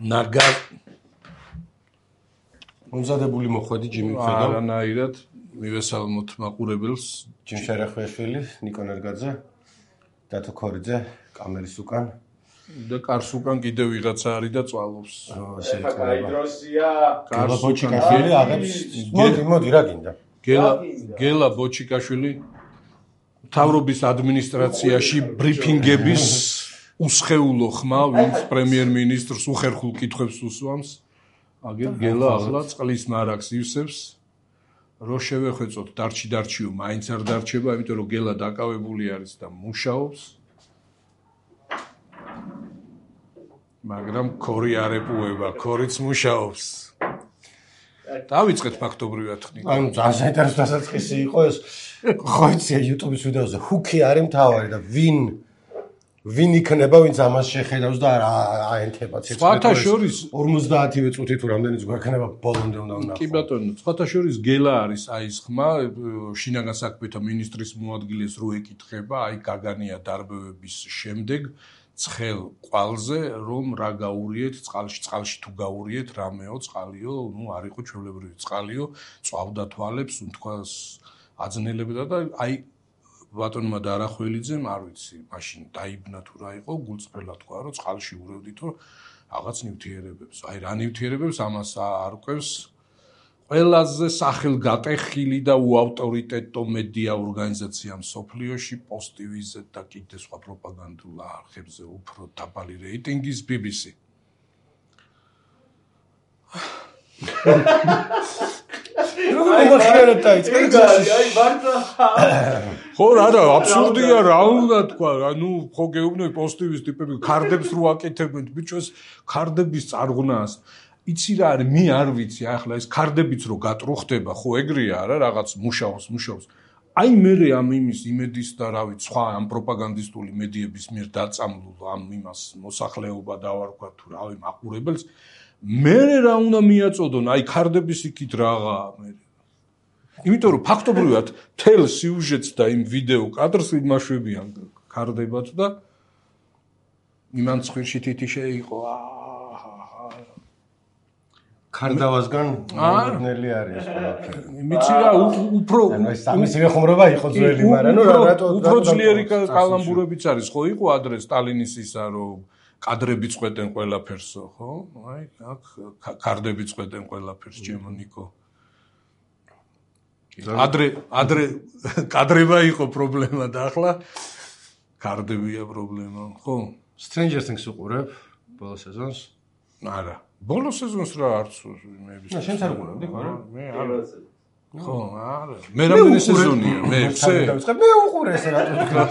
ნაგა მომზადებული მოხვედი ჯიმი ხედავ. არანაირად მივესალმოთ მაყურებელს. ჯიმ შერახვიაშვილი, ნიკო ნერგაძე, დათო ქორიძე, კამერის უკან და კარს უკან კიდევ ვიღაცა არის და წვალობს. კაიდროსია. გელა ბოჩიკაშვილი აღებს. მოდი რა გინდა? გელა ბოჩიკაშვილი მთავრობის ადმინისტრაციაში ბრიფინგების უსხეულო ხმა, ვინც პრემიერ-მინისტრს უხერხულ კითხვებს უსვამს. აგერ გელა ახლა წყლის მარაგს ივსებს. რო შევეხვეწოთ დარჩიო, მაინც არ დარჩება, იმიტომ რომ გელა დაკავებული არის და მუშაობს. მაგრამ ქორი არ ეპუება, ქორიც მუშაობს. დავიწყეთ ფაქტობრივად ხნით. ანუ ძალიან საინტერესო დასაწყისი იყო ეს. ხო იცი YouTube-ის ვიდეოზე ჰუკი არის მთავარი და ვინ იქნება, ვინც ამას შეხედავს და აენთება ცეცხლს. სხვათა შორის 50-ვე წუთი თუ რამდენიც გვექნება ბოლომდე უნდა ვნახო. კი ბატონო, სხვათა შორის გელა არის აი ეს ხმა, შინაგან საქმეთა მინისტრის მოადგილეს რო ეკითხება, აი გაგანია დარბევების შემდეგ ცხელ ყვალზე, რომ რა გაურიეთ წყალში თუ გაურიეთ რამეო წყალიო, არ იყო ჩვეულებრივი წყალიო, წვავდა თვალებს, თქواس აძნელებდა და აი ბატონმა დარახველიძემ არ ვიცი, მაშინ დაიბნა თუ რა იყო, გულწრფელად თქვა, რომ წყალში ურევდითო რაღაც ნივთიერებებს. აი რა ნივთიერებებს ამას არ ყვევს ყველაზე სახელგატეხილი და უავტორიტეტო მედია ორგანიზაცია მსოფლიოში, პოსტივიზე და კიდე სხვა პროპაგანდულ არხებზე უფრო დაბალი რეიტინგის BBC. ხო რა აბსურდია რა უნდა თქვა, ანუ ხო გეუბნები პოსტივის ტიპები ქარდებს რო აკეთებენ, ბიჭოს ქარდების წარღვნას. იცი რა არის, მე არ ვიცი, ახლა ეს ქარდებიც რო გატრუხდება, ხო ეგრეა რა, რაღაც მუშაობს. აი მე ამ იმის იმედის და რა ვიცი, სხვა ამ პროპაგანდისტული მედიების მიერ დაწამლულ ამ იმას მოსახლეობა დავარქვა თუ რავი მაყურებელს, მე რა უნდა მიაწოდონ, აი ქარდების იქით რაღაცა მე. იმიტომ რომ ფაქტობრივად თელ სიუჟეტს და იმ ვიდეო კადრს იმაშვებიან ქარდებად და იმან ცხვირში თითიშე იყო ქარდავასგან მოდნელი არის ყველაფერი. მიცი რა უფრო ამის მეხუმრობა იყო ძველი, მაგრამ ნუ რატო უფრო ძლიერი კალამბურებიც არის, ხო იყო ადრე სტალინის ისა რომ კადრები წყვეტენ ყველაფერსო, ხო? აი აქ ქარდები წყვეტენ ყველაფერს, ჩემო ნიკო. ადრე კადრება იყო პრობლემა და ახლა ქარდებია პრობლემა, ხო? Stranger Things უყურებ ბოლო სეზონს? არა. ბოლო სეზონს რა არც მეების. შენც არ უყურებდი, არა? მე არა. ხო, არა. მე რამდენი სეზონია? მე 6. მე უყურე ეს რატო თქვა?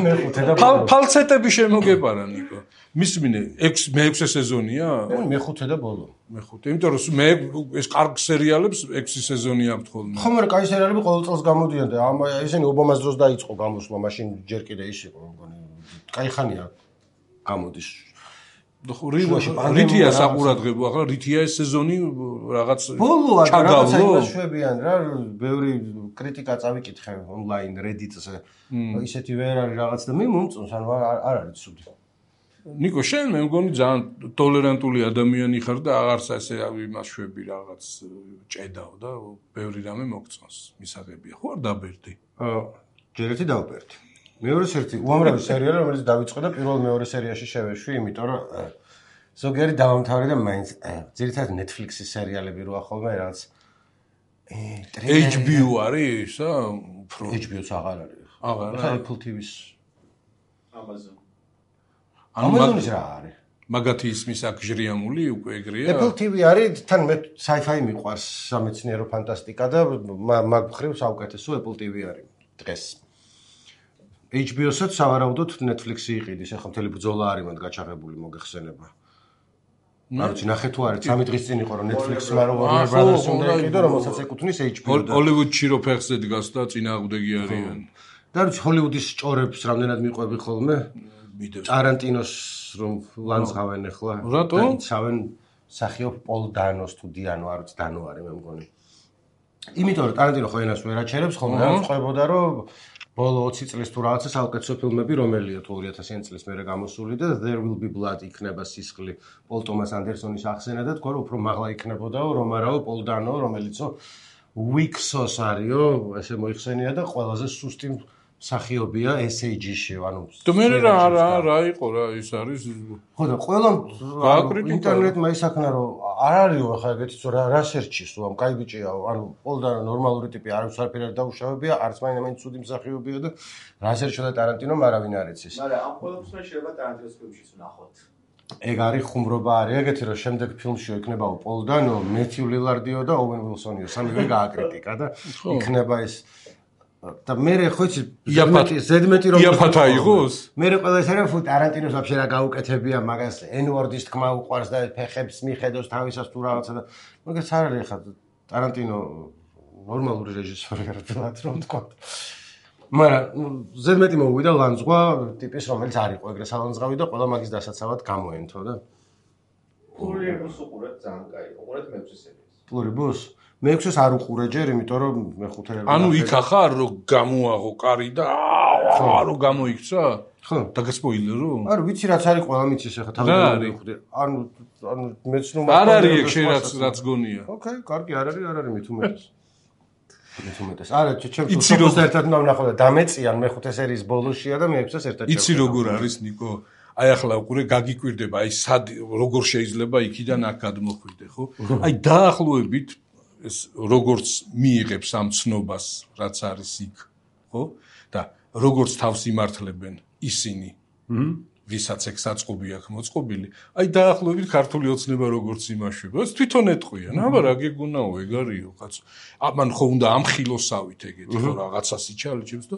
მე 5 და ფალცეტები შემოგეპარა ნიკო. მისმინე 6 სეზონია? მე 5 და ბოლო. მე 5. იმიტომ რომ მე ეს კარგ სერიალებს 6 სეზონი აქვს ხოლმე. ხო, მაგრამ კაი სერიალები ყოველ წელს გამოდიან და ესენი ობამას დროს დაიწყო გამოსვლა, მაშინ ჯერ კიდე ის იყო, მგონი. კაი ხანია გამოდის. რითია საყურადღებო ახლა რითია ეს სეზონი რაღაც ბოლოა რაღაცა იმაშვებიან რა ბევრი კრიტიკა წავიკითხე ონლაინ Reddit-ზე ისეთი ვერ არის რაღაც და მე მომწონს ანუ არ არის ცუდი. ნიკო შენ მე მგონი ძალიან ტოლერანტული ადამიანი ხარ და აღარც ესე იმაშვები რაღაც ჭედაო და ბევრი რამე მოგწონს მისაღებია ხო არ დაბერდი? ჯერ ერთი დავბერდი. მეორე ერთი უამრავი სერიალი რომელიც დავიწყე და პირველ-მეორე სერიაში შევეშვი, იმიტომ რომ ზოგიერთი დავამთავრე და მაინც ძირითადად Netflix-ის სერიალები როა ხოლმე რაღაც HBO არის ისა უფრო HBO-ს აღარ არის. აღარ ხა Apple TV-ს Amazon-ის რა არის? მაგათი ისმის აქ ჟრიამული უკვე ეგრეა. Apple TV არის, თან მე sci-fi მიყვარს, სამეცნიერო ფანტასტიკა და მაგ მხრივ საუკეთესო Apple TV არის დღეს. HBO-საც სავარაუდოდ Netflix-ი იყიდის, ახლა მთელი ბრძოლა არის მათ გაჩაღებული მოგეხსენება. არ ვიცი, ნახე თუ არის, 3 დღის წინ იყო რომ Netflix-მა რომ Warner Brothers-ი უნდა იყიდო, რომელსაც ეკუთვნის HBO. ჰოლივუდში რო ფეხზე დგას და წინააღმდეგი არიან. და რა ვიცი, ჰოლივუდის ჭორებს რამდენად მიყვები ხოლმე? ტარანტინოს რომ ლანძღავენ ახლა. რატო? იცავენ მსახიობ პოლ დანოს თუ დიანო, არ ვიცი, დანო არის მე მგონი. იმიტომ რომ ტარანტინო ხო ენას ვერ აჩერებს ხოლმე, რა წყვებოდა რომ ბოლო 20 წლის თუ რაღაცა საუკეთესო ფილმები რომელია თუ 2000-იან წლის მერე გამოსული და There Will Be Blood იქნება სისხლი პოლ ტომას ანდერსონის ახსენა და თქვა რომ უფრო მაღლა იქნებოდაო რომ არაო პოლ დანო რომელიცო Wixos არისო ესე მოიხსენია და ყველაზე სუსტი მსახიობია SAG-ში ანუ და მე რა იყო რა ის არის ხო და ყველა ინტერნეტმა ისაქნა რომ არ არისო ახლა ეგეთი რა სერჩის რომ კაი ბიჭიაო ანუ პოლ დანო ნორმალური ტიპი არის არაფერი არ დაუშავებია არც მაინც ცუდი მსახიობია და რა სერჩო და ტარანტინომ არავინ არ იცის მაგრამ ამ ყველაფერს შეიძლება ტარანტინოს ფილმშიც ვნახოთ ეგ არის ხუმრობა არის ეგეთი რომ შემდეგ ფილმში იქნებაო პოლ დანო მეთიუ ლილარდიო და ოუენ ვილსონიო სამივე გააკრიტიკა და იქნება ეს და მე ხო იცი ზედმეტი რომ იაფათა იყოს მე ყველა ეს არის ტარანტინოს ვაფშე რა გაუკეთებია მაგას N-word-ის თქმა უყვარს და ფეხებს მიხედოს თავისას თუ რაღაცა და მაგას არ არის ხა ტარანტინო ნორმალური რეჟისორი არა თქო რომ თქვა მაგრამ ზედმეტი მოვიდა ლანძღვა ტიპის რომელიც არ იყო ეგრე სალანძღავი და ყველა მაგის დასაცავად გამოენთო და პლურიბუს უყურეთ ძალიან კაი უყურეთ მე-6 სერიას პლურიბუს მე-6-ს არ უყურე ჯერ იმიტომ რომ მე-5 ანუ იქ ახარ რომ გამოაღო კარი და რო გამოიქცა ხო დაგასპოილერო არა ვიცი რაც არის ყველა მიცის ახლა თავი მივხვდი ანუ მეც ნუ არ არის ეგ შენ რაც გონია ოკეი კარგი არ არის მით უმეტეს არა ჩემს უბრალოდ ერთად უნდა ვნახო და დამეწიან მე-5 სერიის ბოლოშია და მე-6-ს ერთად იცი როგორ არის ნიკო აი ახლა უყურე გაგიკვირდება აი სად როგორ შეიძლება იქიდან აქ გადმოხვიდე ხო აი დაახლოებით ეს როგორც მიიღებს ამ ცნობას რაც არის იქ ხო და როგორც თავს იმართლებენ ისინი ვისაც ეგ საწყობი აქვს მოწყობილი აი დაახლოებით ქართული ოცნება როგორც იმაშვება ეს თვითონ ეტყვიან აბა რა გეგონაო ეგ არისო კაცო ამან ხო უნდა ამხილოსავით ეგეთი ხო რაღაცას იჩალიჭებს და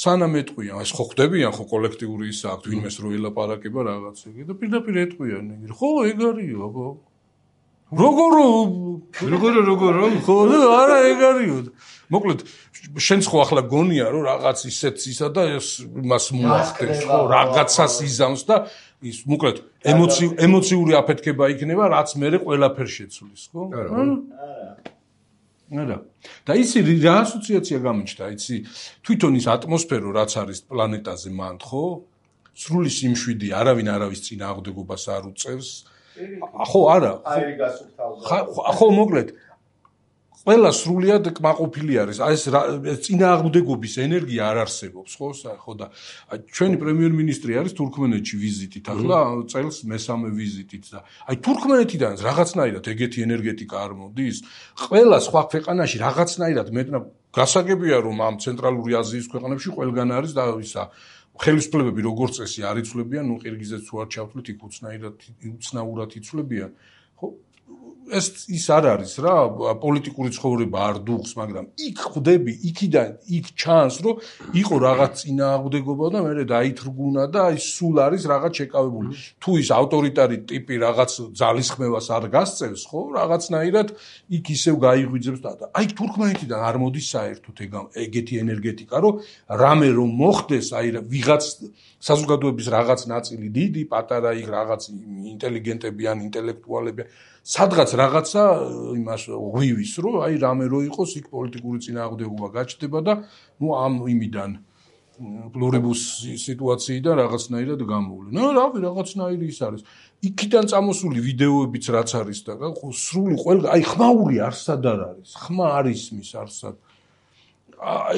სანამ ეტყვიან ეს ხო ხდებიან ხო კოლექტიური ისა აქვს ვინმეს რო ელაპარაკება რაღაც ეგ და პირდაპირ ეტყვიან ეგ ხო ეგ არისო აბა როგორ ხო არა ეგ არისო მოკლედ შენც ხო ახლა გონია რომ რაღაც ისეთ ისა და მას მოახდენს ხო რაღაცას იზამს და ის მოკლედ ემოციური აფეთქება იქნება რაც მერე ყველაფერ შეცვლის ხო არა და ისი რა ასოციაცია გამიჩნდა იცი თვითონ ის ატმოსფერო რაც არის პლანეტაზე მანდ ხო სრული სიმშვიდე არავინ არავის წინააღმდეგობას არ უწევს ხო არა ხო მოკლედ ყველა სრულიად კმაყოფილი არის ეს წინააღმდეგობის ენერგია არ არსებობს ხო და ჩვენი პრემიერ-მინისტრი არის თურქმენეთში ვიზიტით ახლა წელს მესამე ვიზიტით და აი თურქმენეთიდან რაღაცნაირად ეგეთი ენერგეტიკა არ მოდის ყველა სხვა ქვეყანაში რაღაცნაირად მეტნაბ გასაგებია რომ ამ ცენტრალური აზიის ქვეყნებში ყველგან არის და ისა ხელისუფლებები როგორც წესი არ იცვლებიან ნუ ყირგიზეთს თუ არ ჩავთვლით იქ უცნაურად იცვლებიან ხო ეს ის არ არის რა პოლიტიკური ცხოვრება არ დუღს მაგრამ იქ ხვდები იქიდან იქ ჩანს რომ იყო რაღაც წინააღმდეგობა და მე დაითრგუნა და აი სულ არის რაღაც შეკავებული თუ ის ავტორიტარი ტიპი რაღაც ძალისხმევას არ გასწევს ხო რაღაცნაირად იქ ისევ გაიღვიძებს და აი თურქმენეთიდან არ მოდის საერთოდ ეგეთი ენერგეტიკა რომ რამე რომ მოხდეს აი ვიღაც საზოგადოების რაღაც ნაწილი დიდი პატარა იქ რაღაც ინტელიგენტები ან ინტელექტუალები სადღაც რაღაცა იმას ღვივის რომ აი რამე რო იყოს იქ პოლიტიკური წინააღმდეგობა გაჩნდება და ნუ ამ იმიდან პლურიბუს სიტუაციიდან რაღაცნაირად გამოვლენ. რავი რაღაცნაირი ის არის. იქიდან წამოსული ვიდეოებიც რაც არის და სრული ყველა აი ხმაური არსად არ არის. ხმა არის მის არსად.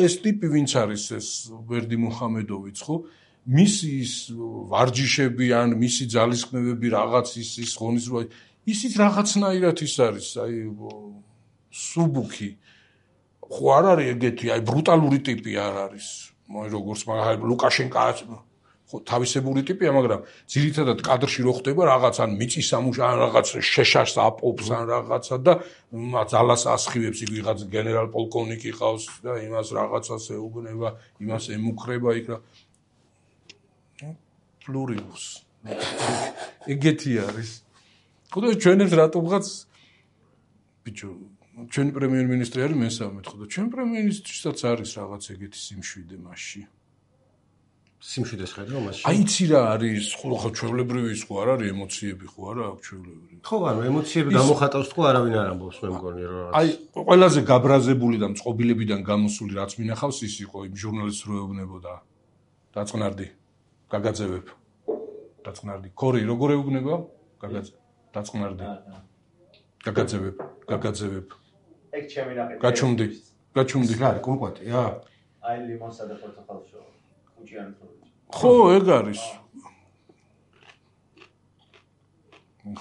ეს ტიპი ვინც არის ეს ვერდი მუჰამედოვიც ხო? მისი ის ვარჯიშები ან მისი ძალისხმევები რაღაც ის ღონისძიება ისიც რაღაცნაირად ის არის აი სუბუქი ხო არ არის ეგეთი აი ბრუტალური ტიპი არ არის როგორც მაგალითად ლუკაშენკა ხო თავისებური ტიპია მაგრამ ძირითადად კადრში რო ხდება რაღაც ან მიწის სამუშა ან რაღაც შეშაშს აპობს ან რაღაცა და ძალას ასხივებს იქ ვიღაც გენერალ პოლკოვნიკი ყავს და იმას რაღაცას ეუბნება იმას ემუქრება იქ რა პლურიბუს ეგეთი არის ხო და ჩვენებს რატომღაც ბიჭო ჩვენი პრემიერ-მინისტრი არის მესამე ხო და ჩვენ პრემიერ-მინისტრისაც არის რაღაც ეგეთი სიმშვიდე მასში სიმშვიდეს ხედავ მასში. აი იცი რა არის, ხო ჩვეულებრივი ის ხო არ არის ემოციები ხო არა აქვს ჩვეულებრივი. ხო, ანუ ემოციები გამოხატავს თქო არავინ არ ამბობს მე მგონი რა. აი ყველაზე გაბრაზებული და მწყობილებიდან გამოსული რაც მინახავს ის იყო იმ ჟურნალისტს რო ეუბნებოდა. დაწყნარდი. გაგაძევებ. დაწყნარდი. ქორი როგორ ეუბნება? დაწყნარდი. გაგაძევებ. ეგ ჩემი ნაყიდი. გაჩუმდი. რა არის კუმკვატია? აი ლიმონსა და პორტოხალს შოვა. უჭიანი თორე. ხო, ეგ არის.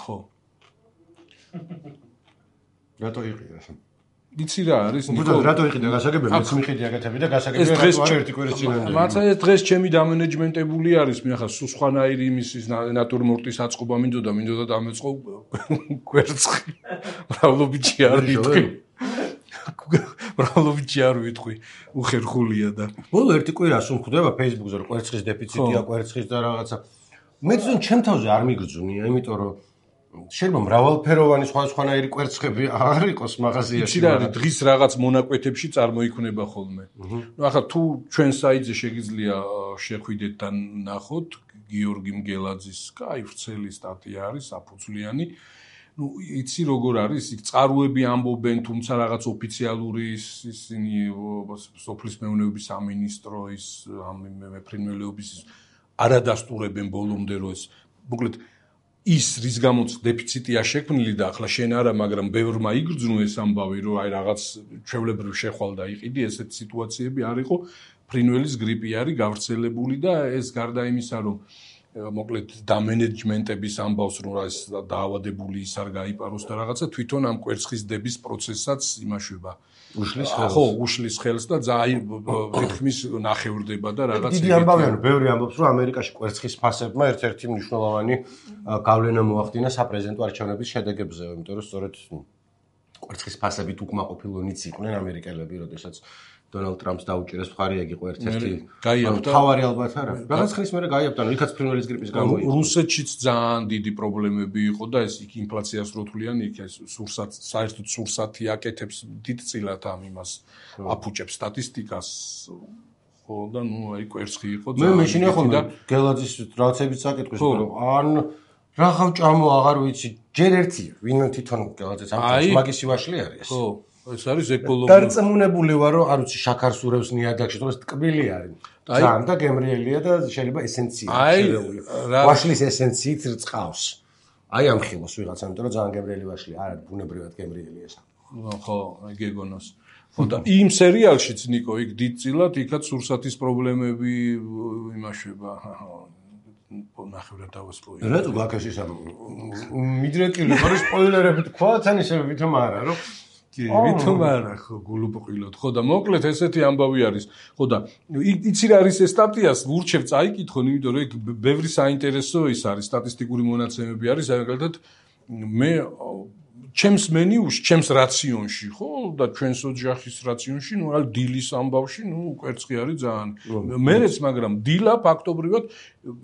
ხო. რატო იყიდა ეს? იცი რა არის? ნიკო, რატო იყიდა გასაგებია? მეც მიხდი აკეთები და გასაგებია რატო არ ერთი კვირის წინამდე. მაცა ეს დღეს ჩემი დამენეჯმენტებული არის, მინახა სუსხანაირი იმის ნატურმორტის აწყობა მინდოდა დამეწყო კვერცხი. მრავლობიჩი არ ვიტყვი. მრავლობიჩი არ ვიტყვი. უხერხულია და. ბოლო ერთი კვირა სულ ხვდება Facebook-ზე რომ კვერცხის დეფიციტია, კვერცხის და რაღაცა. მე ძონ ჩემ თავზე არ მიგრძუნია, იმიტომ რომ შეიძლება მრავალფეროვანი სხვადასხვანაირი კვერცხები არ იყოს მაღაზიაში. იცი რა არის, დღის რაღაც მონაკვეთებში წარმოიქმნება ხოლმე. ნუ ახლა თუ ჩვენ საიტზე შეგიძლია შეხვიდეთ და ნახოთ გიორგი მგელაძის კაი ვრცელი სტატია არის, საფუძვლიანი. ნუ იცი როგორ არის, იქ წყაროები ამბობენ, თუმცა რაღაც ოფიციალური ისინი სოფლის მეურნეობის სამინისტრო ის მეფრინველეობის არადასტურებენ ბოლომდე რომ ეს მოკლედ ის რის გამოც დეფიციტია შექმნილი და ახლა შენ არა, მაგრამ ბევრმა იგრძნო ეს ამბავი, რომ აი რაღაც ჩვეულებრივ შეხვალ და იყიდი, ესეთი სიტუაციები არ იყო, ფრინველის გრიპი არის გავრცელებული და ეს გარდა იმისა, რომ მოკლედ დამენეჯმენტების ამბავს, რომ ეს დაავადებული ის არ გაიპაროს და რაღაცა თვითონ ამ კვერცხის დების პროცესსაც იმაშვება. უშლის ხელს. ხო, უშლის ხელს და თითქმის ნახევრდება და რაღაც დიდი ამბავია, რომ ბევრი ამბობს, რომ ამერიკაში კვერცხის ფასებმა ერთ-ერთი მნიშვნელოვანი გავლენა მოახდინა საპრეზიდენტო არჩევნების შედეგებზე, იმიტომ რომ სწორედ კვერცხის ფასებით უკმაყოფილონიც იყვნენ ამერიკელები, როდესაც დონალდ ტრამპს დაუჭირეს მხარი, ეგ იყო ერთ-ერთი თავარი ალბათ არა. რაღაც ხნის მერე გაიაბდა, იქაც ფრინველის გრიპის გამო იყო. რუსეთშიც ძალიან დიდი პრობლემები იყო და ეს იქ ინფლაციას რო თვლიან, იქ ეს საერთოდ სურსათი აკეთებს დიდწილად ამ იმას აფუჭებს სტატისტიკას. ხო და ნუ აი კვერცხი იყო ძალიან. მე მეშინია ხოლმე გელაძის რაღაცებიც აკეთებს, რომ ან რაღავ ჭამო აღარ ვიცი, ჯერ ერთია, ვინ თვითონ გელაძეს ამ მაგისი ვაშლი არის. ხო. ეს არის ეკოლოგიური. დარწმუნებული ვარ, რომ არ ვიცი, შაქარს ურევს ნიადაგში, თორე ტკბილი არის. ძალიან და გემრიელია და შეიძლება ესენცია შერეული. ვაშლის ესენციით რწყავს. აი ამ ხილოს ვიღაცა, იმიტომ რომ ძალიან გემრიელი ვაშლია, არა ბუნებრივად გემრიელია ეს. ხო, გეგონოს. ხო და იმ სერიალშიც ნიკო, იქ დიდწილად იქაც სურსათის პრობლემები იმაშვება. ნახევრად დავასრულე. რატო გაქეს ის მიდრეკილი ხარ სპოილერები თქვა, თან ისე ვითომ არა, რომ ვითომ არა ხო გულუბრყილოდ ხო და მოკლედ ესეთი ამბავი არის ხო და იცი რა არის ეს სტატიას ვურჩევ წაიკითხონ იმიტომ რომ იქ ბევრი საინტერესო ის არის სტატისტიკური მონაცემები არის მაგალითად მე ჩემს მენიუში ჩემს რაციონში ხო და ჩვენს ოჯახის რაციონში ნუ ალ დილის ამბავში ნუ კვერცხი არის ძალიან მერეც მაგრამ დილა ფაქტობრივად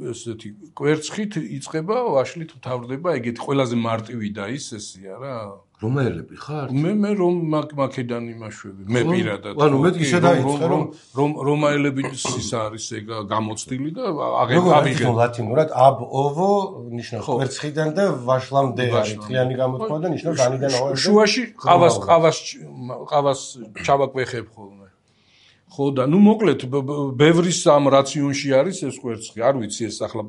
ესეთი კვერცხით იწყება ვაშლით მთავრდება ეგეთი ყველაზე მარტივი და ის ესია რა რომაელები ხარ? მე რომ მაკედან იმაშვები. მე პირადად. ანუ მე ისე დაიწყე რომ რომაელების ის არის ეგ გამოცდილი და აღიღე ლათინურად ab ovo ნიშნავს კვერცხიდან და ვაშლამდე არის თლიანი გამოთქვა და ნიშნავს განიდან ოღონდ შუაში ყავას ჩავაკვეხებ ხოლმე. ხო და ნუ მოკლედ ბევრის ამ რაციონში არის ეს კვერცხი. არ ვიცი ეს ახლა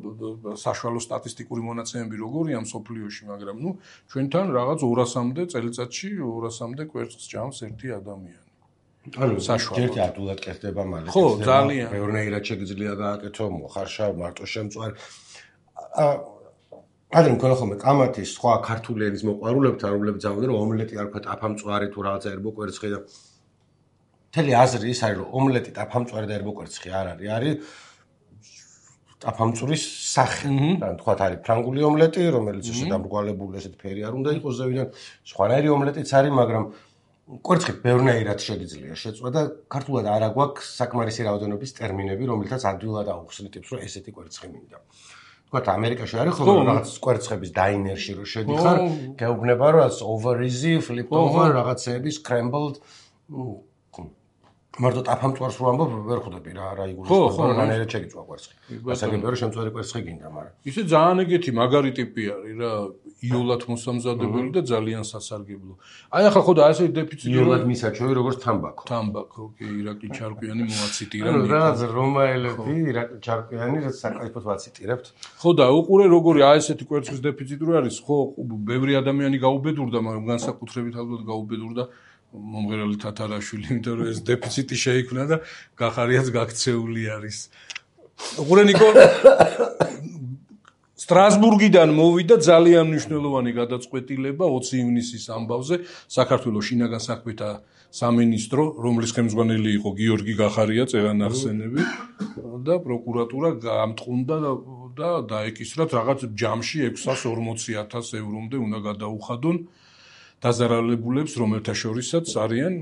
საშუალო სტატისტიკური მონაცემები როგორია მსოფლიოში, მაგრამ ნუ ჩვენთან რაღაც 200-მდე წელიწადში 200-მდე კვერცხს ჭამს ერთი ადამიანი. ანუ ერთი ადულად კეთდება მალე. ხო, ძალიან. ბევრნაირად შეგიძლია გააკეთო, მოხარშა, მარტო შემწვარი. ადრე მქონდა ხოლმე კამათის სხვა ქართული ენის მოყვარულებთან, რომლებიც ამბობდნენ, რომ ომლეტი არ ვქვა ტაფამწვარი თუ რაღაცა ერბო კვერცხი და მთელი აზრი ის არის, რომ ომლეტი ტაფამწვარი და ერბო კვერცხი არ არის, არის ტაფამწვრის სახე. ან თქვათ არის ფრანგული ომლეტი, რომელიც ესე დამრგვალებული ესეთ ფერი არ უნდა იყოს ზევიდან, სხვანაირი ომლეტიც არის, მაგრამ კვერცხით ბევრნაირად შეგიძლია შეწვა და ქართულად არ აგვაქვს საკმარისი რაოდენობის ტერმინები, რომელთაც ადვილად აუხსნით იმს, რომ ესეთი კვერცხი მინდა. თქვათ ამერიკაში არის ხოლმე რაღაც კვერცხების დაინერში რო შედიხარ, გეუბნება რომ over easy, flip over, რაღაცეების scrambled მარტო ტაფამწვარს რო ამბობ ვერ ხვდები რა იგულისხმება რანაირად შეგიწვა კვერცხი. გასაგებია რომ შემწვარი კვერცხი გინდა, მაგრამ ისე ძალიან ეგეთი მაგარი ტიპი არის რა, იოლად მოსამზადებელი და ძალიან სასარგებლო. აი ახლა ხო და ასე დეფიციტი იოლად მისაჩვევი როგორც თამბაქო. თამბაქო, კი, ირაკლი ჩარკვიანი მოაციტირა. რაღაც რომაელები, ირაკლი ჩარკვიანი რაც საკაიფოდ ვაციტირებთ. ხო და უყურე როგორი აი ესეთი კვერცხის დეფიციტი რო არის, ხო, ბევრი ადამიანი გაუბედურდა, მაგრამ განსაკუთრებით ალბათ გაუბედურდა მომღერალი თათარაშვილი, იმიტომ რომ ეს დეფიციტი შეიქმნა და გახარიაც გაქცეული არის. უყურე ნიკო სტრასბურგიდან მოვიდა ძალიან მნიშვნელოვანი გადაწყვეტილება 20 ივნისის ამბავზე საქართველოს შინაგან საქმეთა სამინისტრო, რომლის ხელმძღვანელი იყო გიორგი გახარია, წევანახსენები და პროკურატურა გამტყუნდა და დაეკისრათ რაღაც ჯამში 640,000 ევრომდე უნდა გადაუხადონ დაზარალებულებს, რომელთა შორისაც არიან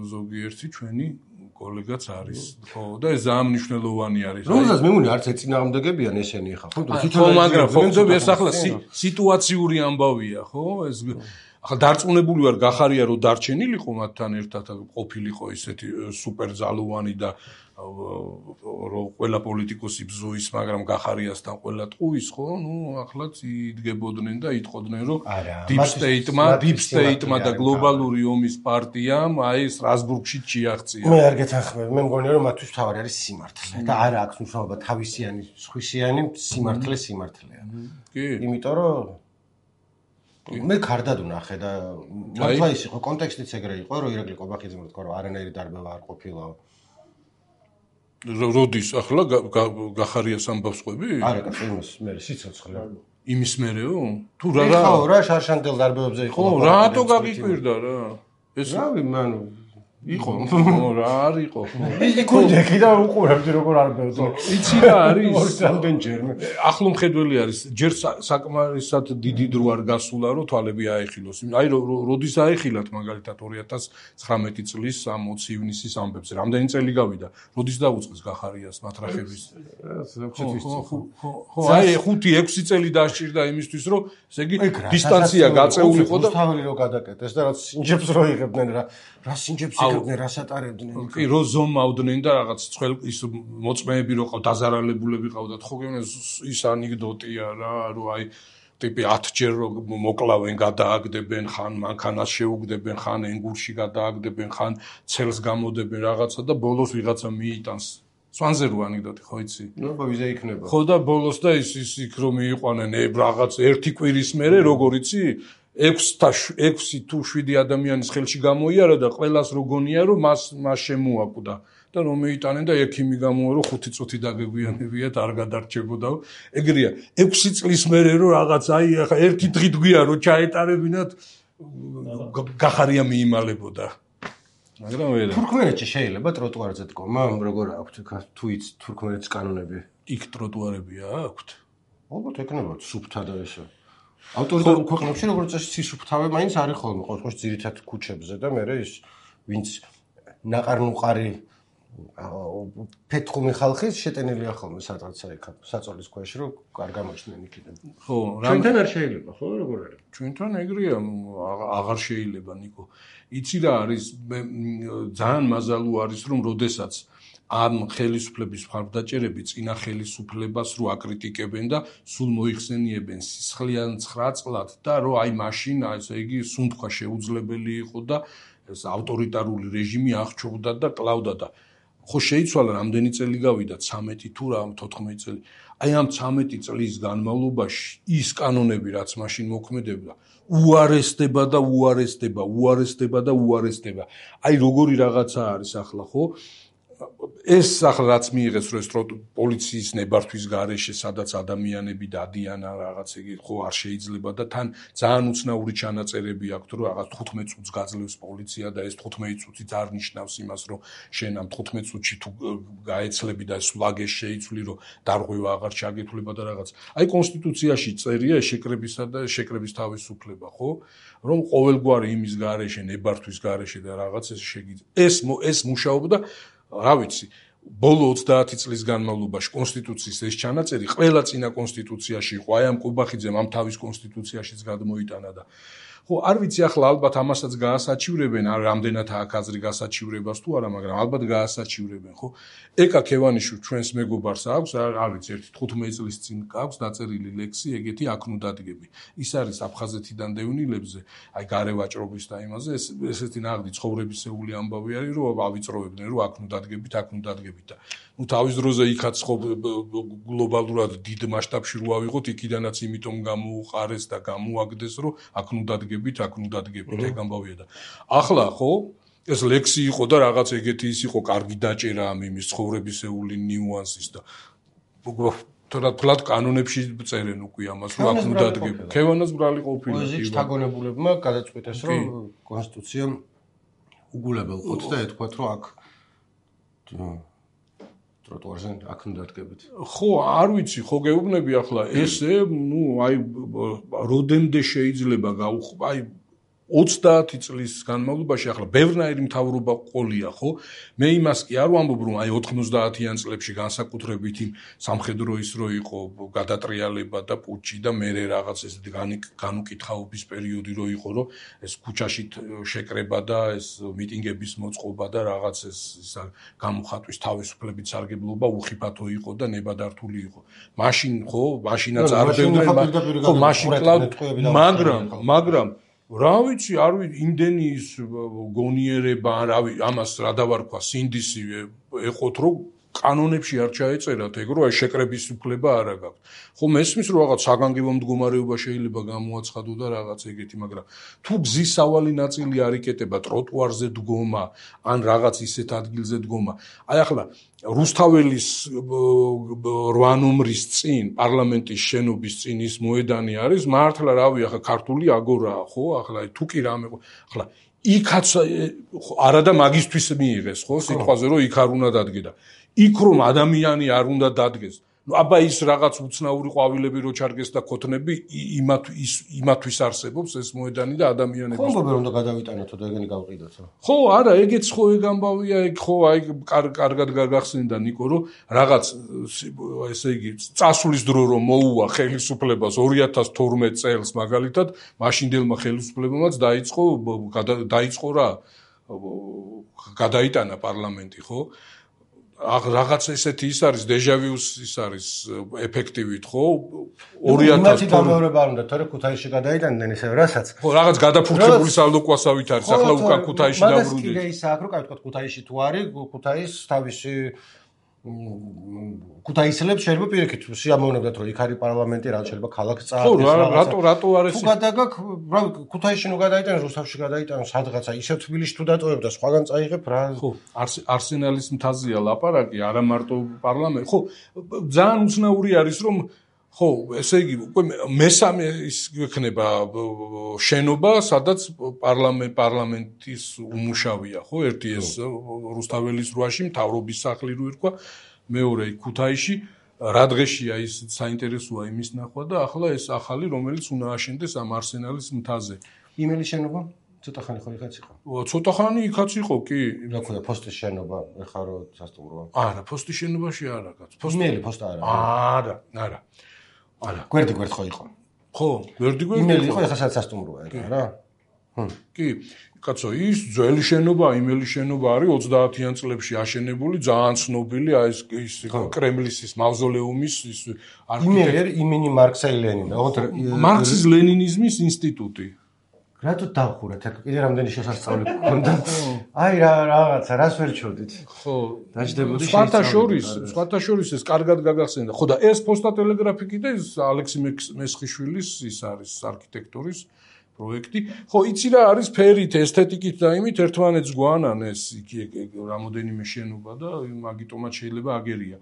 ზოგიერთი ჩვენი კოლეგაც არის. ხო, და ეს ძალიან მნიშვნელოვანი არის. რომელსაც მე მგონი არც ეწინააღმდეგებიან ესენი ხა, ხო? ხო, მაგრამ ხო, ეს ახლა სიტუაციური ამბავია, ხო? ეს ახლა დარწმუნებული ვარ გახარია რომ დარჩენილიყო მათთან ერთად ყოფილიყო ისეთი სუპერძალოვანი და რომ ყველა პოლიტიკოსი ბზუის, მაგრამ გახარიასთან ყველა ტყუის, ხო? ნუ ახლაც იდგებოდნენ და იტყოდნენ რომ deep state-მა და გლობალური ომის პარტიამ აი სტრასბურგში ჩიაღწია. მე არ გეთანხმები, მე მგონია რომ მათთვის თავარი არის სიმართლე და არა აქვს მნიშვნელობა თავისიანი, სხვისიანი სიმართლეა. კი. იმიტომ რომ მე კარდად ვნახე და მართლა ის იყო კონტექსტიც ეგრე იყო რომ ირაკლი ყობახიძემ თქვა რომ არანაირი დარბევა არ ყოფილა. როდის ახლა გახარიას ამბავს ყვები? არა, კაცო, იმის მე სიცოცხლე. იმის მერეო? თუ ხო, რა შარშანდელ დარბევებზე იყო. ხო, რატო გაგიკვირდა რა? ეს რავი, მან იყო. ხო, რა არ იყო? იყო ჯეკი და უყურებდი როგორ არბევდა. იცი რა არის? ორსამდენჯერმე. ახლო მხედველი არის. ჯერ საკმარისად დიდი დრო არ გასულა რომ თვალები აეხილოს. აი როდის აეხილათ მაგალითად 2019 წლის 20 ივნისის ამბებზე. რამდენი წელი გავიდა? როდის დაუწყეს გახარიას მატრახების? ხო, აი 5-6 წელი დასჭირდა იმისთვის რომ ესე იგი დისტანცია გაწეულიყო და თავი რო გადაკეტეს და რაც სინჯებს რო იღებდნენ რა სინჯებს იღებდნენ, რას ატარებდნენ. კი, რო ზომავდნენ და რაღაც ცხელ ის მოწმეები რო ყავ დაზარალებულები ყავდათ. ხო გეუბნე ის ანეკდოტია რა, რომ აი ტიპი 10 ჯერ რო მოკლავენ, გადააგდებენ, ხან მანქანას შეუგდებენ, ხან ენგურში გადააგდებენ, ხან ცელს გამოდებენ რაღაცა და ბოლოს ვიღაცა მიიტანს. სვანზე რო ანეკდოტი, ხო იცი? ნუ ვიზა იქნება. ხო და ბოლოს და ის იქ რომ მიიყვანენ რაღაც ერთი კვირის მერე როგორ იცი? 6 თუ 7 ადამიანის ხელში გამოიარა და ყველას რო გონია რომ მას შემოაკვდა და რომ მეიტანენ და ექიმი გამოა რომ 5 წუთი დაგეგვიანებიათ არ გადარჩებოდაო. ეგრეა 6 წლის მერე რომ რაღაც აი ახლა ერთი დღით გვია რომ ჩაეტარებინათ გახარია მიიმალებოდა. მაგრამ ვერა. თურქმენეთში შეიძლება ტროტუარზე დგომა, როგორ აქვთ თუ იც თურქმენეთის კანონები? იქ ტროტუარებია აქვთ? ალბათ ეკნებათ სუფთა და ესე. ავტორიტარულ ქვეყნებში როგორც წესი სისუფთავე მაინც არის ხოლმე, ყოველთვის ძირითად ქუჩებზე და მე ის ვინც ნაყარ-ნუყარი ფეთხუმი ხალხის შეტენილია ხოლმე სადღაცა იქ საწოლის ქვეშ რომ არ გამოჩნდნენ იქიდან. ხო, ჩვენთან არ შეიძლება, ხო, როგორ არის? ჩვენთან ეგრეა, აღარ შეიძლება ნიკო. იცი რა არის, ძალიან მაზალუ არის რომ როდესაც ამ ხელისუფლების მხარდაჭერები წინა ხელისუფლებას რო აკრიტიკებენ და სულ მოიხსენიებენ სისხლიან 9 წლად და რომ აი მაშინ ესე იგი სუნთქვა შეუძლებელი იყო და ეს ავტორიტარული რეჟიმი აღჭურდა და კლავდა და ხო შეიცვალა რამდენი წელი გავიდა 13 თუ რა 14 წელი. აი ამ 13 წლის განმავლობაში ის კანონები რაც მაშინ მოქმედებდა უარესდება და უარესდება. აი როგორი რაღაცა არის ახლა ხო? ეს ახლა რაც მიიღეს რომ ეს პოლიციის ნებართვის გარეშე სადაც ადამიანები დადიან რაღაც იგი ხო არ შეიძლება და თან ძალიან უცნაური ჩანაწერები აქვს რომ რაღაც 15 წუთს გაძლევს პოლიცია და ეს 15 წუთი არ ნიშნავს იმას რომ შენ ამ 15 წუთში თუ გაეცლები და სულაგეს შეიცვლი რომ დარღვევა აღარ ჩაგეთვლება და რაღაც აი კონსტიტუციაში წერია შეკრებისა და შეკრების თავისუფლება ხო რომ ყოველგვარი იმის გარეშე ნებართვის გარეშე და რაღაც ეს შეგიძლია ეს მუშაობა და რა ვიცი, ბოლო 30 წლის განმავლობაში კონსტიტუციის ეს ჩანაწერი ყველა წინა კონსტიტუციაში იყო, აი ამ ყუბახიძემ ამ თავის კონსტიტუციაშიც გადმოიტანა და ხო, არ ვიცი ახლა ალბათ ამასაც გაასაჩივრებენ, რამდენად აქვს აზრი გასაჩივრებას თუ არა, მაგრამ ალბათ გაასაჩივრებენ, ხო? ეკა ქევანიშვილი ჩვენს მეგობარს აქვს, არ ვიცი, ერთი 15 წლის წინ აქვს დაწერილი ლექსი, ეგეთი აქ ნუ დადგები. ის არის აფხაზეთიდან დევნილებზე, აი გარევაჭრობის და იმაზე, ესეთი ნაღდი ცხოვრებისეული ამბავი არის, რომ ავიწროვებდნენ, რომ აქ ნუ დადგებით და ნუ თავის დროზე იქაც ხო გლობალურად დიდ მასშტაბში რო ავიღოთ, იქიდანაც იმიტომ გამოუყარეს და გამოაგდეს, რომ აქ ნუ დადგებით, ეგ ამბავია და ახლა ხო ეს ლექსი იყო და რაღაც ეგეთი ის იყო, კარგი დაჭერა ამ იმის ცხოვრებისეული ნიუანსის და თორად კანონებში წერენ უკვე ამას, რომ აქ ნუ დადგები. ქევანას ბრალი ყოფილა. პოეზიის შთაგონებულებმა გადაწყვიტეს, რომ კონსტიტუცია უგულებელ ყოფს და ეთქვათ, რომ აქ ტროტუარზე აქ ნუ დადგებით. ხო, არ ვიცი, ხო გეუბნები ახლა ესე, ნუ აი როდემდე შეიძლება აი 30 წლის განმავლობაში ახლა ბევრნაირი მთავრობა ყოლია, ხო? მე იმას კი არ ვამბობ, რომ აი 90-იან წლებში განსაკუთრებით იმ სამხედრო ის რო იყო გადატრიალება და პუჩი და მე რაღაც ესეთი განუკითხაობის პერიოდი რო იყო, რომ ეს ქუჩაში შეკრება და ეს მიტინგების მოწყობა და რაღაც ეს გამოხატვის თავისუფლებით სარგებლობა უხიფათო იყო და ნებადართული იყო. მაშინ ხო, მაშინაც არ ბევრდნენ, ხო, მაშინ მაგრამ რა ვიცი, არ ვიცი, იმდენი ის გონიერება, ამას რა დავარქვა, სინდისი ეყოთ, რომ კანონებში არ ჩაეწერათ ეგ, რომ აი შეკრების უფლება არა გაქვთ. ხო, მესმის, რომ რაღაც საგანგებო მდგომარეობა შეიძლება გამოაცხადო და რაღაც ეგეთი, მაგრამ თუ გზის სავალი ნაწილი არ იკეტება, ტროტუარზე დგომა, ან რაღაც ისეთ ადგილზე დგომა. აი ახლა რუსთაველის 8 ნომრის წინ, პარლამენტის შენობის წინ ის მოედანი არის, მართლა რავი, ახლა ქართული აგორაა, ხო? ახლა თუ კი რამე, ახლა იქაც არა და მაგისთვის მიიღეს, ხო? სიტყვაზე რომ იქ არ უნდა დადგე და იქ რომ ადამიანი არ უნდა დადგეს. ნუ აბა ის რაღაც უცნაური ყვავილები რო ჩარგეს და ქოთნები იმათვის არსებობს ეს მოედანი და ადამიანები. ხო, მგონი რომ გადავიტანოთო და ეგენი გავყიდოთო. ხო, არა, ეგეც ხო ეგ ამბავია, ეგ ხო აი კარგად გაგახსენდა ნიკო, რომ რაღაც ესე იგი წასვლის დრო რომ მოუვა ხელისუფლებას 2012 წელს მაგალითად, მაშინდელმა ხელისუფლებამაც დაიწყო რა გადაიტანა პარლამენტი, ხო? რაღაც ესეთი ის არის დეჟავიუს ის არის ეფექტივით, ხო? 2012 გამეორება არ უნდა, თორე ქუთაისში გადაიტანდნენ ისე რასაც. ხო, რაღაც გადაფურჩებული სალდოკვასავით არის, ახლა უკან ქუთაისში დაბრუნდი. მაგას კიდე ის აქვს, რომ კაი ვთქვათ, ქუთაისში თუ არის, ქუთაის თავისი ქუთაისელებს შეიძლება პირიქით სიამოვნებდათ, რომ იქ არის პარლამენტი, რა შეიძლება ქალაქს წააგდეს. ხო, რატო არ ეს? თუ გადაგაკ, რა ქუთაისში ნუ გადაიტანოს, რუსთავში გადაიტანოს, სადღაცა ისევ თბილისში თუ დატოვებ და სხვაგან წაიღებ რა. ხო, არსენალის მთაზეა ლაპარაკი, არა მარტო პარლამენტი. ხო, ძალიან უცნაური არის, რომ ხო, ესე იგი, უკვე მესამე ის იქნება შენობა, სადაც პარლამენტის უმუშავია, ხო? ერთი ეს რუსთაველის 8-ში მთავრობის სახლი რო ერქვა, მეორე ქუთაისში, რა დღეშია ის საინტერესოა იმის ნახვა და ახლა ეს ახალი, რომელიც უნდა აშენდეს ამ არსენალის მთაზე. იმელი შენობა? ცოტა ხანი ხო იქაც იყო? ცოტა ხანი იქაც იყო, კი. რა ქვია, ფოსტის შენობა, ეხლა რო სასტუმროა. არა, ფოსტის შენობაში არა, კაც. იმელი ფოსტა არა. არა. არა. გვერდი ხო იყო. ხო, გვერდი. იმელი იყო, ეხლა სადაც სასტუმროა, რა. კი, კაცო, ის ძველი შენობა, იმელი შენობა არის 30-იან წლებში აშენებული, ძალიან ცნობილი, აი ეს კრემლის ის მავზოლეუმის ის იმელი იმენი მარქსა ლენინა, მარქსის ლენინიზმის ინსტიტუტი. რატო დავხურეთ? აქ კიდე რამდენი შესასწავლი გქონდა. აი რაღაცა, რას ვერ ჩოდით. ხო, დაждებოდი სხვათა შორის ეს კარგად გაგახსენდა. ხო და ეს პოსტა ტელეგრაფი კიდე ალექსი მესხიშვილის ის არის არქიტექტურის პროექტი. ხო, იცი რა არის ფერით, ესთეტიკით და იმით ერთმანეთს გვანანეს იქ რამოდენიმე შენობა და მაგიტომაც შეიძლება აგერია.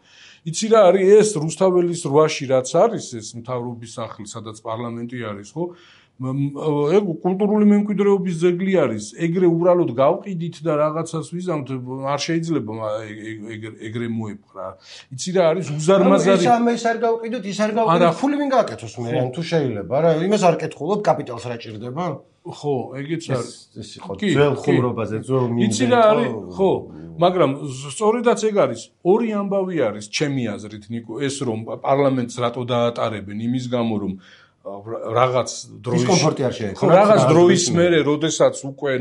იცი რა არის ეს რუსთაველის 8-ში რაც არის ეს მთავრობის სახლი, სადაც პარლამენტი არის, ხო? ეგ კულტურული მემკვიდრეობის ძეგლი არის. ეგრე უბრალოდ გავყიდით და რაღაცას ვიზამთ, არ შეიძლება ეგრე მოეპყრა. იცი რა არის უზარმაზარი. ის არ გავყიდოთ, ის არ გავყიდოთ. ფული ვინ გააკეთოს მე, ან თუ შეიძლება, რა, იმას არ კითხულობ, კაპიტალს რა ჭირდება? ხო, ეგეც არის. ეს იყო ძველ ხუმრობაზე, ძველ მინდზე. იცი რა არის? ხო, მაგრამ სწორედაც ეგ არის. ორი ამბავი არის ჩემი აზრით, ნიკო, ეს რომ პარლამენტს რატო დაატარებენ იმის გამო, რომ რაღაც დროის დისკომფორტი არ შეექო. რაღაც დროის მერე, როდესაც უკვე,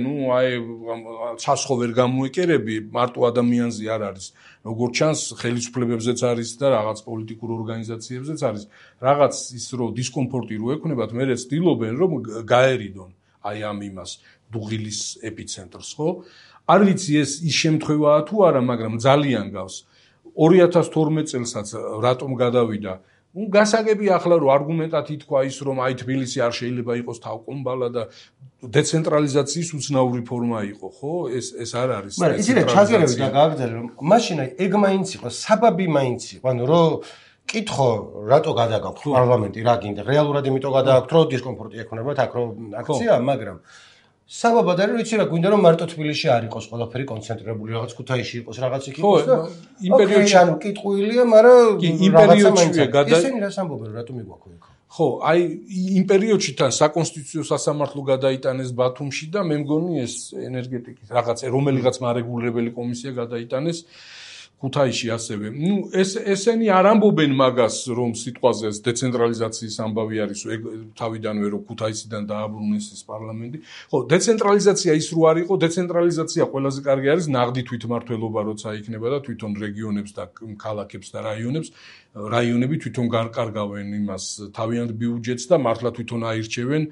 ცასხო ვერ გამოეკერები, მარტო ადამიანზე არ არის. როგორც ჩანს, ხელისუფლებებზეც არის და რაღაც პოლიტიკურ ორგანიზაციებზეც არის. რაღაც ის რო დისკომფორტი რო ექნებათ, მერე ცდილობენ რომ გაერიდონ აი ამ იმას, დუღილის ეპიცენტრს, ხო? არ ვიცი ეს ის შემთხვევაა თუ არა, მაგრამ ძალიან გავს. 2012 წელსაც რატომ გადავიდა? გასაგები ახლა რომ არგუმენტად ითქვა ის რომ აი თბილისი არ შეიძლება იყოს თავკომბალა და დეცენტრალიზაციის უცნაური ფორმა იყო, ხო? ეს არ არის. მაგრამ იცით ჩაგერები და გააგრძელე რომ მაშინ ეგ მაინც იყო, საბაბი მაინც იყო, ანუ რომ კითხო რატო გადაგაქვთ პარლამენტი, რა გინდა? რეალურად იმიტომ გადაგაქვთ რომ დისკომფორტი ექნებათ აქ რომ აქცია, მაგრამ საბაბად არის რომ იცი რა გვინდა რომ მარტო თბილისში არ იყოს ყველაფერი კონცენტრირებული, რაღაც ქუთაისში იყოს, რაღაც იქ იყოს და იმპერიოდში ანუ კიტყვილია, მაგრამ იმპერიოდშია ისინი რას ამბობენ, რატომ მიგვაქვს იქ? ხო, აი იმ პერიოდში თან საკონსტიტუციო სასამართლო გადაიტანეს ბათუმში და მე მგონი ეს ენერგეტიკის რაღაც რომელიღაც მარეგულირებელი კომისია გადაიტანეს ქუთაისში ასევე. ესენი არ ამბობენ მაგას, რომ სიტყვაზე ეს დეცენტრალიზაციის ამბავი არის, ეგ თავიდანვე რომ ქუთაისიდან დააბრუნეს ეს პარლამენტი. ხო, დეცენტრალიზაცია ის რო არ იყო, დეცენტრალიზაცია ყველაზე კარგი არის ნაღდი თვითმმართველობა, როცა იქნება და თვითონ რეგიონებს და ქალაქებს და რაიონები თვითონ გარკარგავენ იმას თავიანთ ბიუჯეტს და მართლა თვითონ აირჩევენ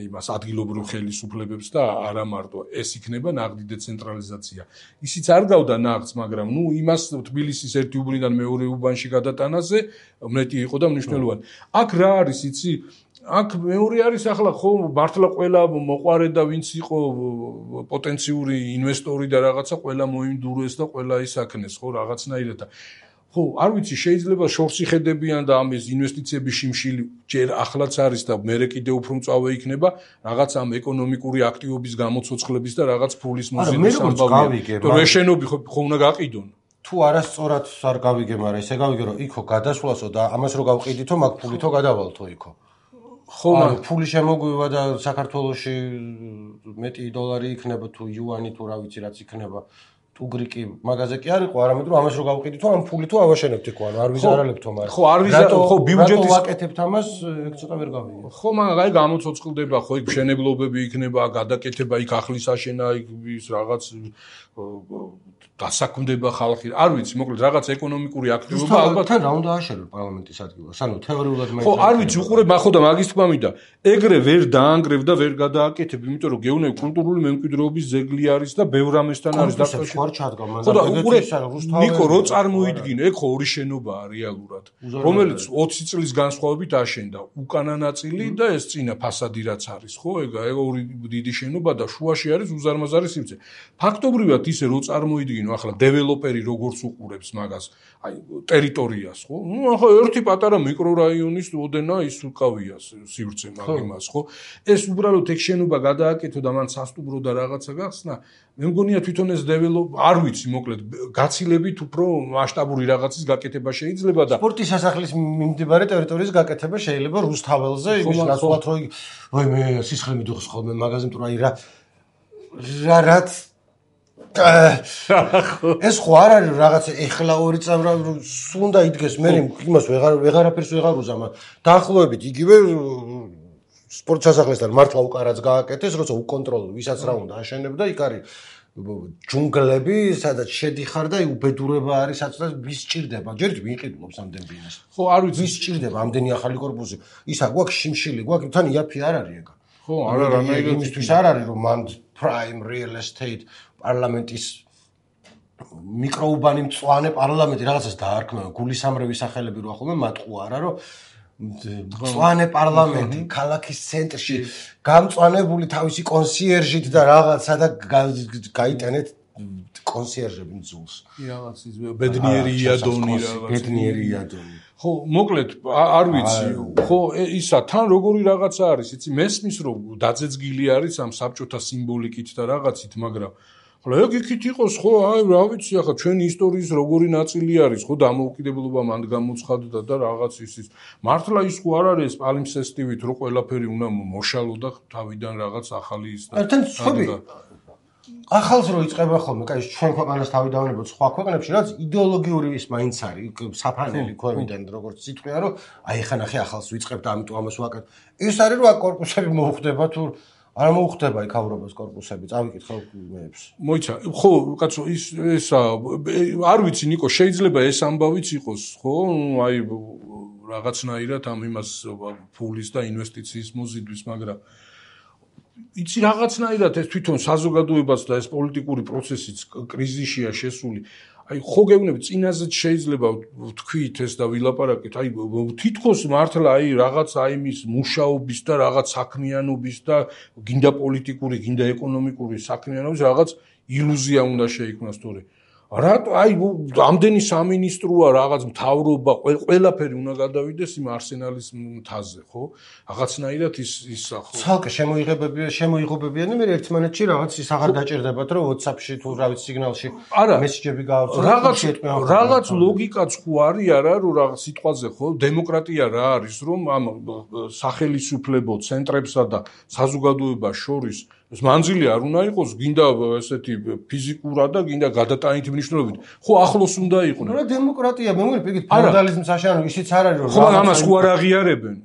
იმას ადგილობრივ ხელისუფლებებს და არა მარტო ეს იქნება ნაღდი დეცენტრალიზაცია. ისიც არ გავდა ნაღდს, მაგრამ იმას თბილისის ერთი უბნიდან მეორე უბანში გადატანაზე მეტი იყო და მნიშვნელოვანი. აქ რა არის, იცი? აქ მეორე არის ახლა ხო მართლა ყველა მოყარე და ვინც იყო პოტენციური ინვესტორი და რაღაცა ყველა მოიმდურეს და ყველა ისაქნეს ხო რაღაცნაირად. ხო, არ ვიცი, შეიძლება შორსი ხედებიან და ამის ინვესტიციების შიმშილი ჯერ ახლაც არის და მერე კიდევ უფრო მწვავე იქნება რაღაც ამ ეკონომიკური აქტივობის გამოცოცხლების და რაღაც ფულის მოზიდვის ამბავია. თუ რეშენები ხო უნდა გაყიდონ. თუ არასწორად არ გავიგე, მაგრამ ესე გავიგე რომ იქო გადასვლასო და ამას რო გავყიდითო, მაგ ფულითო გადავალთო იქო. ხო, ფული შემოგვივა და საქართველოში მეტი დოლარი იქნება თუ იუანი თუ რა ვიცი რაც იქნება. უგრიკი მაგაზე კი არ იყო, არამედ რომ ამას რო გავყიდითო, ამ ფული თუ ავაშენებთ იქო, ანუ არ ვიზარალებთო, მაგრამ ხო, არ ხო ბიუჯეტის ვაკეთებთ ამას, ეგ ცოტა ვერ გავიგე. ხო, მაგრამ აი გამოცოცხლდება, ხო, იქ მშენებლობები იქნება, გადაკეთება, იქ ახლის აშენა, იქ ის რაღაც დასაქმდება ხალხი. არ ვიცი, მოკლედ რაღაც ეკონომიკური აქტივობა ალბათ თან რა უნდა აშენო პარლამენტის ადგილას. ანუ თეორიულად მე ხო, არ ვიცი, უყურებ ახო და მაგის თქმა მინდა. ეგრე ვერ დაანგრევ და ვერ გადააკეთებ, იმიტომ რომ გეუბნები კულტურული მემკვიდრეობის ძეგლი არის და ბევრ ამასთან არის დაკავშირებული. ჩადგა მან და უყურებ ნიკო რო წარმოიდგინე, ეგ ხო ორი შენობაა რეალურად, რომელიც 20 წლის განსხვავებით აშენდა. უკანა ნაწილი და ეს წინა ფასადი რაც არის, ხო, ეგ ორი დიდი შენობა და შუაში არის უზარმაზარი სივრცე. ფაქტობრივად ისე რო წარმოიდგინო ახლა დეველოპერი როგორც უყურებს მაგას, აი ტერიტორიას, ხო? ახლა ერთი პატარა მიკრორაიონის ოდენა ის უკავია სივრცე მაგ იმას, ხო? ეს უბრალოდ ეგ შენობა გადააკეთო და მან სასტუმრო და რაღაცა გახსნა. მე მგონია თვითონ ეს არ ვიცი, მოკლედ გაცილებით უფრო მასშტაბური რაღაცის გაკეთება შეიძლება და სპორტის სასახლის მიმდებარე ტერიტორიის გაკეთება შეიძლება რუსთაველზე, იმის ნაცვლად რომ ვაი მე სისხლი მიდუხს ხოლმე მაგაზე, იმიტომ აი რაც ეს ხო არ არის რაღაცა ეხლა ორი წამრა სუნდა იდგეს მე იმას ვეღარაფერს ვეღარ უზამა დაახლოებით იგივე სპორტ სასახლესთან მართლა უკარაც გააკეთეს, როცა უკონტროლო ვისაც რა უნდა აშენებდა, იქ არის ჯუნგლები, სადაც შედიხარ და უბედურება არის, სადაც ვის ჭირდება. ჯერ ვიყიდულობს ამდენ ბინას. ხო, არ ვიცი, ვის ჭირდება ამდენი ახალი კორპუსი. ისა გვაქვს შიმშილი, გვაქვს თან იაფი არ არის ეგა. ხო, არა რანაირად იმისთვის არ არის რომ მან prime real estate პარლამენტის მიკროუბანი მწვანე პარლამენტი რაღაცას დაარქმევა, გულისამრევი სახელები რო ახლა მატყუ არა რომ მწვანე პარლამენტი ქალაქის ცენტრში გამწვანებული თავისი კონსიერჟით და რაღაცა და გაიტანეთ კონსიერჟები მძულს. რაღაც ის ბედნიერი იადონი რაღაც. ბედნიერი იადონი. ხო, მოკლედ არ ვიცი. ხო, ისა თან როგორი რაღაცა არის, იცი, მესმის რომ დაძეძგილი არის ამ საბჭოთა სიმბოლიკით და რაღაცით, მაგრამ ხოლო ეგ იქით იყოს, ხო, აი რა ვიცი, ახლა ჩვენი ისტორიის როგორი ნაწილი არის, ხო, დამოუკიდებლობა მანდ გამოცხადდა და რაღაც ის მართლა ის ხო არ არის პალიმსესტივით, რომ ყველაფერი უნდა მოშალო და თავიდან რაღაც ახალი ის და თან სხვები ახალს რო იწყება ხოლმე, კაი, ჩვენ ქვეყანას თავი დავანებოთ სხვა ქვეყნებში, რაც იდეოლოგიური ის მაინც არის, საფანელი ქვევიდან როგორც სიტყვია, რომ აი ხა ნახე ახალს ვიწყებ და ამიტომ ამას ვაკეთებ. ის არის რომ აქ კორპუსები მოუხდება თუ არა მოუხდება იქავრობას კორპუსები, წავიკითხავ მეებს. მოიცა, ხო, კაცო, ისა არ ვიცი ნიკო, შეიძლება ეს ამბავიც იყოს, ხო? აი რაღაცნაირად ამ იმას ფულის და ინვესტიციის მოზიდვის, მაგრამ იცი რაღაცნაირად ეს თვითონ საზოგადოებას და ეს პოლიტიკური პროცესიც კრიზისშია შესული. აი ხო გეუბნები წინაზეც შეიძლება ვთქვით ეს და ვილაპარაკეთ. აი თითქოს მართლა აი რაღაც აი მის მუშაობის და რაღაც საქმიანობის და გინდა პოლიტიკური, გინდა ეკონომიკური საქმიანობის რაღაც ილუზია უნდა შეიქმნას თორე რატო აი ამდენი სამინისტროა რაღაც მთავრობა ყველაფერი უნდა გადავიდეს იმ არსენალის მთაზე ხო რაღაცნაირად ის ხო ცალკე შემოიღობებიანი მე ერთმანეთში რაღაც ის აღარ დაჭირდებათ რომ WhatsApp-ში თუ რა ვიცი სიგნალში მესიჯები გაავრცელოთ რაღაც ლოგიკაც ხო არის არა რომ რაღაც სიტყვაზე ხო დემოკრატია რა არის რომ ამ სახელმწიფო ცენტრებსა და საზოგადოებას შორის ეს მანძილი არ უნდა იყოს, გინდა ესეთი ფიზიკურად და გინდა გადატანით მნიშვნელობით. ხო, ახლოს უნდა იყვნენ. რა დემოკრატია, მე მგონი პიგით ფეოდალიზმს აშენო, ისიც არ არის რომ ხო, ამას ხო არ აღიარებენ.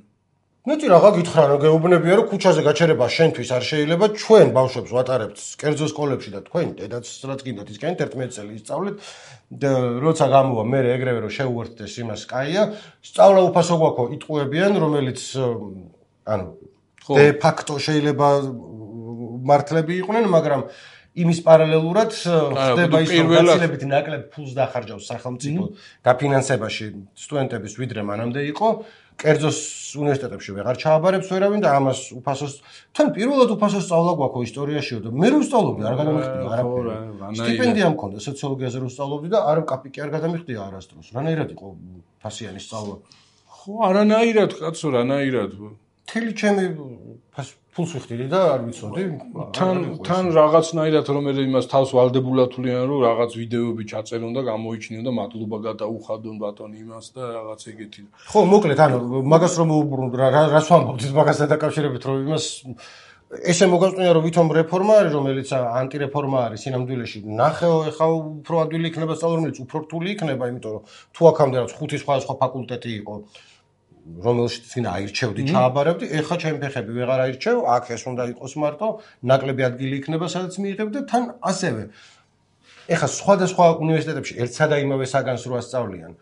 მეტი რაღა გითხრა რომ გეუბნებია რომ ქუჩაზე გაჩერება შენთვის არ შეიძლება, ჩვენ ბავშვებს ვატარებთ კერძო სკოლებში და თქვენ დედაც რაც გინდათ ისკენით 11 წელი ისწავლეთ და როცა გამოვა მე ეგრევე რომ შეუერთდეს იმას კაია, სწავლა უფასო გვაქვს იტყუებიან, რომელიც ანუ დე ფაქტო შეიძლება მართლები იყვნენ, მაგრამ იმის პარალელურად ხდება ის რომ გაცილებით ნაკლებ ფულს დახარჯავს სახელმწიფო დაფინანსებაში სტუდენტების ვიდრე მანამდე იყო, კერძოს უნივერსიტეტებში ვეღარ ჩააბარებს ვერავინ და ამას უფასოს თან პირველად უფასო სწავლა გვაქვს ისტორიაშიო და მე რო ვსწავლობდი არ გადამიხდია არაფერი. სტიპენდია მქონდა სოციოლოგიაზე რო ვსწავლობდი და არ კაპიკი არ გადამიხდია არასდროს. რანაირად იყო ფასიანი სწავლა? ხო, არანაირად კაცო, რანაირად. თელი ჩემი ფულს ვიხდიდი და არ ვიცოდი. თან რაღაცნაირად რომ იმას თავს ვალდებულად თვლიან რომ რაღაც ვიდეოები ჩაწერონ და გამოიჩინონ და მადლობა გადაუხადონ ბატონი იმას და რაღაც ეგეთი. ხო, მოკლედ ანუ მაგას რომ მოუბრუნდ რას ვამბობთ მაგასთან დაკავშირებით რომ იმას ესე მოგაწყვია რომ ვითომ რეფორმა არის რომელიც ანტირეფორმა არის სინამდვილეში. ნახეო ეხა უფრო ადვილი იქნება სწავლა რომელიც უფრო რთული იქნება, იმიტომ რომ თუ აქამდე რაც 5 სხვა ფაკულტეტი იყო რომელშიც წინ აირჩევდი, ჩააბარებდი, ეხა ჩემი ფეხები ვეღარ აირჩევ, აქ ეს უნდა იყოს მარტო, ნაკლები ადგილი იქნება, სადაც მიიღებ და თან ასევე. ეხა სხვადასხვა უნივერსიტეტებში ერთსა და იმავე საგანს რო ასწავლიან.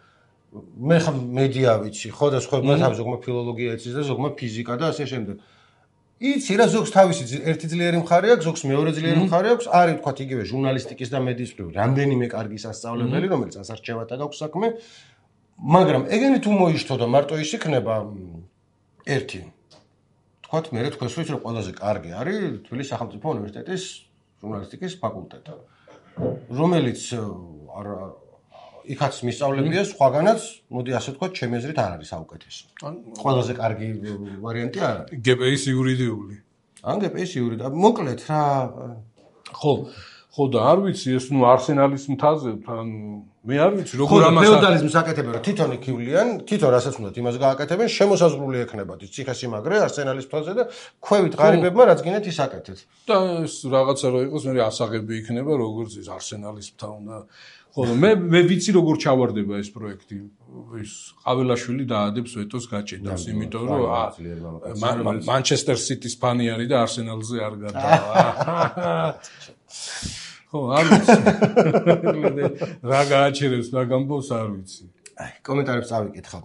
მე ხა მედია ვიცი, ხო და სხვაებმა თავი ზოგმა ფილოლოგია იცის და ზოგმა ფიზიკა და ასე შემდეგ. იცი რა ზოგს თავისი ერთი ძლიერი მხარე აქვს, ზოგს მეორე ძლიერი მხარე აქვს, არის თქვა იგივე ჟურნალისტიკის და მედიის მხრივ რამდენიმე კარგი სასწავლებელი, რომელიც ასარჩევად აქვს საქმე. მაგრამ ეგენი თუ მოიშთო და მარტო ის იქნება ერთი. თქვათ მე თქვენს ვიცი რომ ყველაზე კარგი არის თბილისის სახელმწიფო უნივერსიტეტის ჟურნალისტიკის ფაკულტეტი. რომელიც იქაც მისწავლებია სხვაგანაც, მოდი ასე ვთქვათ, ჩემი აზრით არ არის საუკეთესო. ყველაზე კარგი ვარიანტი არ არის. GPA-ის იურიდიული. ან GPA-ის იურიდიული. მოკლედ რა ხო და არ ვიცი ეს ნუ არსენალის მთაზე თან მე არ ვიცი როგორ ამას ფეოდალიზმს აკეთებენ რომ თვითონ იქივლიან თვითონ რასაც უნდათ იმას გააკეთებენ შემოსაზღვრული ექნებათ ის ციხესიმაგრე არსენალის მთაზე და ქვევით ღარიბებმა რაც გინდათ ის აკეთეთ და ეს რაღაცა რო იყოს მე ასაღები იქნება როგორც ის არსენალის მთა უნდა ხო მე ვიცი როგორ ჩავარდება ეს პროექტი ის ყაველაშვილი დაადებს ვეტოს გაჭედავს იმიტომ რომ მანჩესტერ სიტის ფანი არის და არსენალზე არ გადავა ხო, არ ვიცი. რა გააჩერებს მაგამბოს არ ვიცი. აი, კომენტარებს წავიკითხავ.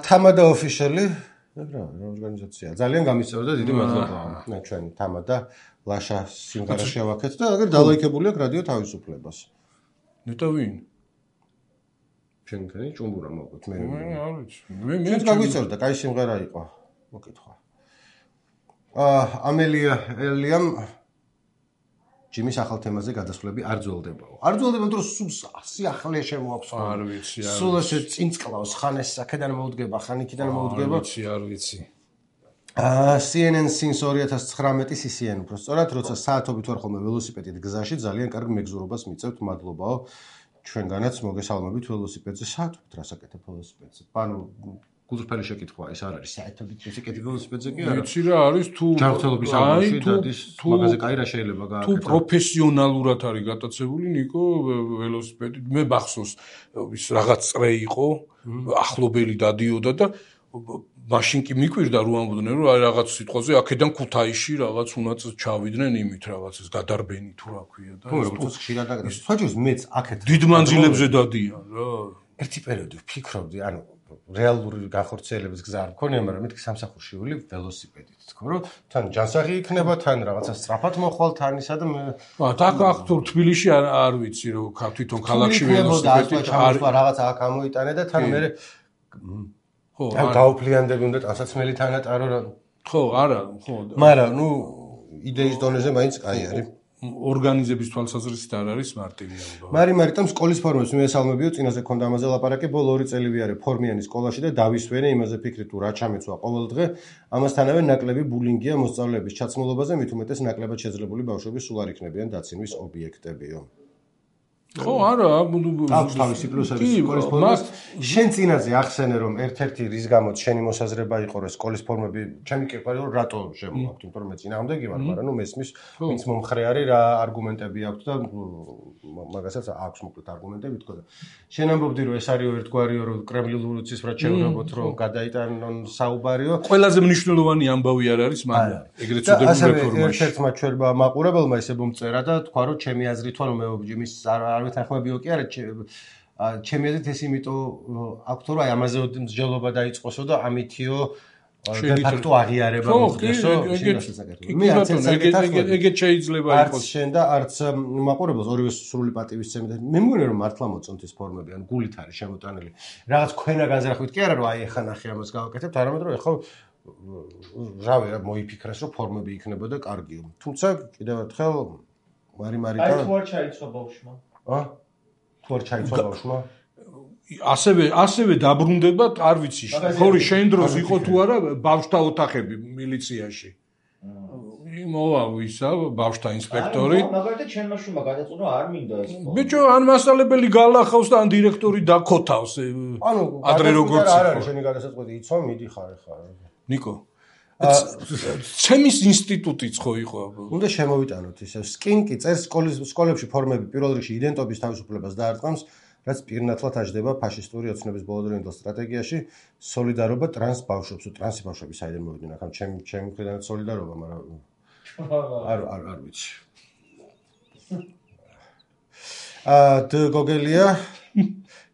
თამადა ოფიციალი, რა ორგანიზაციაა. ძალიან გამისწორდა, დიდი მადლობა. მე ჩვენი თამადა ლაშა სიმღერა შევაქეთ და აგერ დალაიქებული აქვს რადიო თავისუფლებას. ნეტა ვინ? ჩვენი ჭუმბურა მოგვით მე. არ ვიცი. მე გამისწორდა, კაი სიმღერა იყო. მოკითხვა. ამელია ელიამ ჯიმის ახალ თემაზე გადასვლები არ ძველდებაო. არ ძველდება, იმიტომ რომ სულ სიახლე შემოაქვს. არ ვიცი. სულ ესე წინწყლავს, ხან ეს აქედან მოუდგება, ხან იქიდან მოუდგება. არ ვიცი. CNN since 2019 CCN უფრო სწორად, როცა საათობით ვარ ხოლმე ველოსიპედით გზაში, ძალიან კარგ მეგზურობას მიწევთ, მადლობაო. ჩვენგანაც მოგესალმებით ველოსიპედზე. საათობით რას აკეთებ ველოსიპედზე? ანუ გულწრფელი შეკითხვა ეს არ არის საერთოდ ისე კეთილი ველოსიპედზე კი არა ვიცი რა არის თუ ჯანმრთელობის აღმოჩი დადის მაგაზე კაი რა შეიძლება გააკეთო თუ პროფესიონალურად არის გატაცებული ნიკო ველოსიპედი მე ბახსოვს ის რაღაც წრე იყო ახლობელი დადიოდა და მაშინ კი მიკვირდა რომ ამბობდნენ რომ აი რაღაც სიტყვაზე აქედან ქუთაისში რაღაც უნდაც ჩავიდნენ იმით რაღაცას გადარბენი თუ რა ქვია და როგორც ხშირად აკეთებს სხვაჯერს მეც აქეთ დიდ მანძილებზე დადიან რა ერთი პერიოდი ვფიქრობდი ანუ რეალური განხორციელების გზა არ მქონია მაგრამ მეთქი სამსახურში ვილი ველოსიპედით თქო რომ თან ჯანსაღი იქნება თან რაღაცა სწრაფად მოხვალ თან ისა და მე აქ თუ თბილისში არ ვიცი რომ თვითონ ქალაქში ველოსიპედით რაღაცა აქ ამოიტანე და თან მე ხო ან გაუფლიანდები უნდა ტანსაცმელი თანატარო რა ხო არა ხო მაგრამ ნუ იდეის დონეზე მაინც კაი არის ორგანიზების თვალსაზრისით არ არის მარტივი ამბავი. მარიმარიტამ სკოლის ფორმებს მიესალმებიო, წინაზე ქონდა ამაზე ლაპარაკი, ბოლო 2 წელი ვიარე ფორმიანი სკოლაში და დავისვენე იმაზე ფიქრი თუ რა ჩამეცვა ყოველ დღე. ამასთანავე ნაკლები ბულინგია მოსწავლეების ჩაცმულობაზე, მით უმეტეს ნაკლებად შეძლებული ბავშვები სულ არ იქნებიან დაცინვის ობიექტებიო. ხო არა აქვს თავისი პლუსები სკოლის ფორმას შენ წინაზე ახსენე რომ ერთ-ერთი რის გამოც შენი მოსაზრება იყო რომ სკოლის ფორმები ჩემი კი ყარი რომ რატო შემოაქვთ იმიტომ რომ მე წინააღმდეგი ვარ მაგრამ ნუ მესმის ვინც მომხრე არის რა არგუმენტები აქვს და მაგასაც აქვს მოკლედ არგუმენტები თქო და შენ ამბობდი რომ ეს არის ერთგვარიო რომ კრემლინული ცისფრად შევღებოთ რომ გადაიტანონ საუბარიო ყველაზე მნიშვნელოვანი ამბავი არ არის მაგრამ ეგრეთ წოდებულ რეფორმაში ერთ-ერთმა ჩვენმა მაყურებელმა ისე მომწერა და თქვა რომ ჩემი აზრით ვარ რომ მე მის არ ვეთანხმებიო კი არა ჩემი აზრით ეს იმიტომ აქვს რომ აი ამაზე მსჯელობა დაიწყოსო და ამითიო დე-ფაქტო აღიარება მოხდესო მე ეგეთ შეიძლება იყოს არც შენ და არც მაყურებელს ორივე სრული პატივისცემი და მე მგონია რომ მართლა მოწონთ ეს ფორმები ან გულით არის შემოტანილი რაღაც ქვენა განზრახვით კი არა რომ აი ეხა ნახე ამას გავაკეთებთ არამედ რომ ეხა რავი რა მოიფიქრეს რომ ფორმები იქნებოდა კარგიო თუმცა კიდევ ერთხელ მარიმარიტა აი თუ არ ჩაიცვა ბავშვმა თუ არ ჩაიცვა ბავშვმა ასევე დაბრუნდება არ ვიცი ხორი შენ დროს იყო თუ არა ბავშვთა ოთახები მილიციაში მოვა ვისა ბავშვთა ინსპექტორი მაგალითად ჩემმა შვილმა გადაწყვიტა არ მინდა ეს ბიჭო ან მასწავლებელი გალახავს და ან დირექტორი დაქოთავს ანუ ადრე როგორც არ არის შენი გადასაწყვეტი იცო მიდიხარ ხა ნიკო ჩემის ინსტიტუტიც ხო იყო უნდა შემოვიტანოთ ისე სკინკი წერს სკოლებში ფორმები პირველ რიგში იდენტობის თავისუფლებას დაარტყამს რაც პირნათლად აჯდება ფაშისტური ოცნების ბოლოდროინდელ სტრატეგიაში სოლიდარობა ტრანს ბავშვებს ტრანსი ბავშვები საიდან მოვიდნენ ახლა ჩემი მხრიდან სოლიდარობა მაგრამ არ ვიცი გოგელია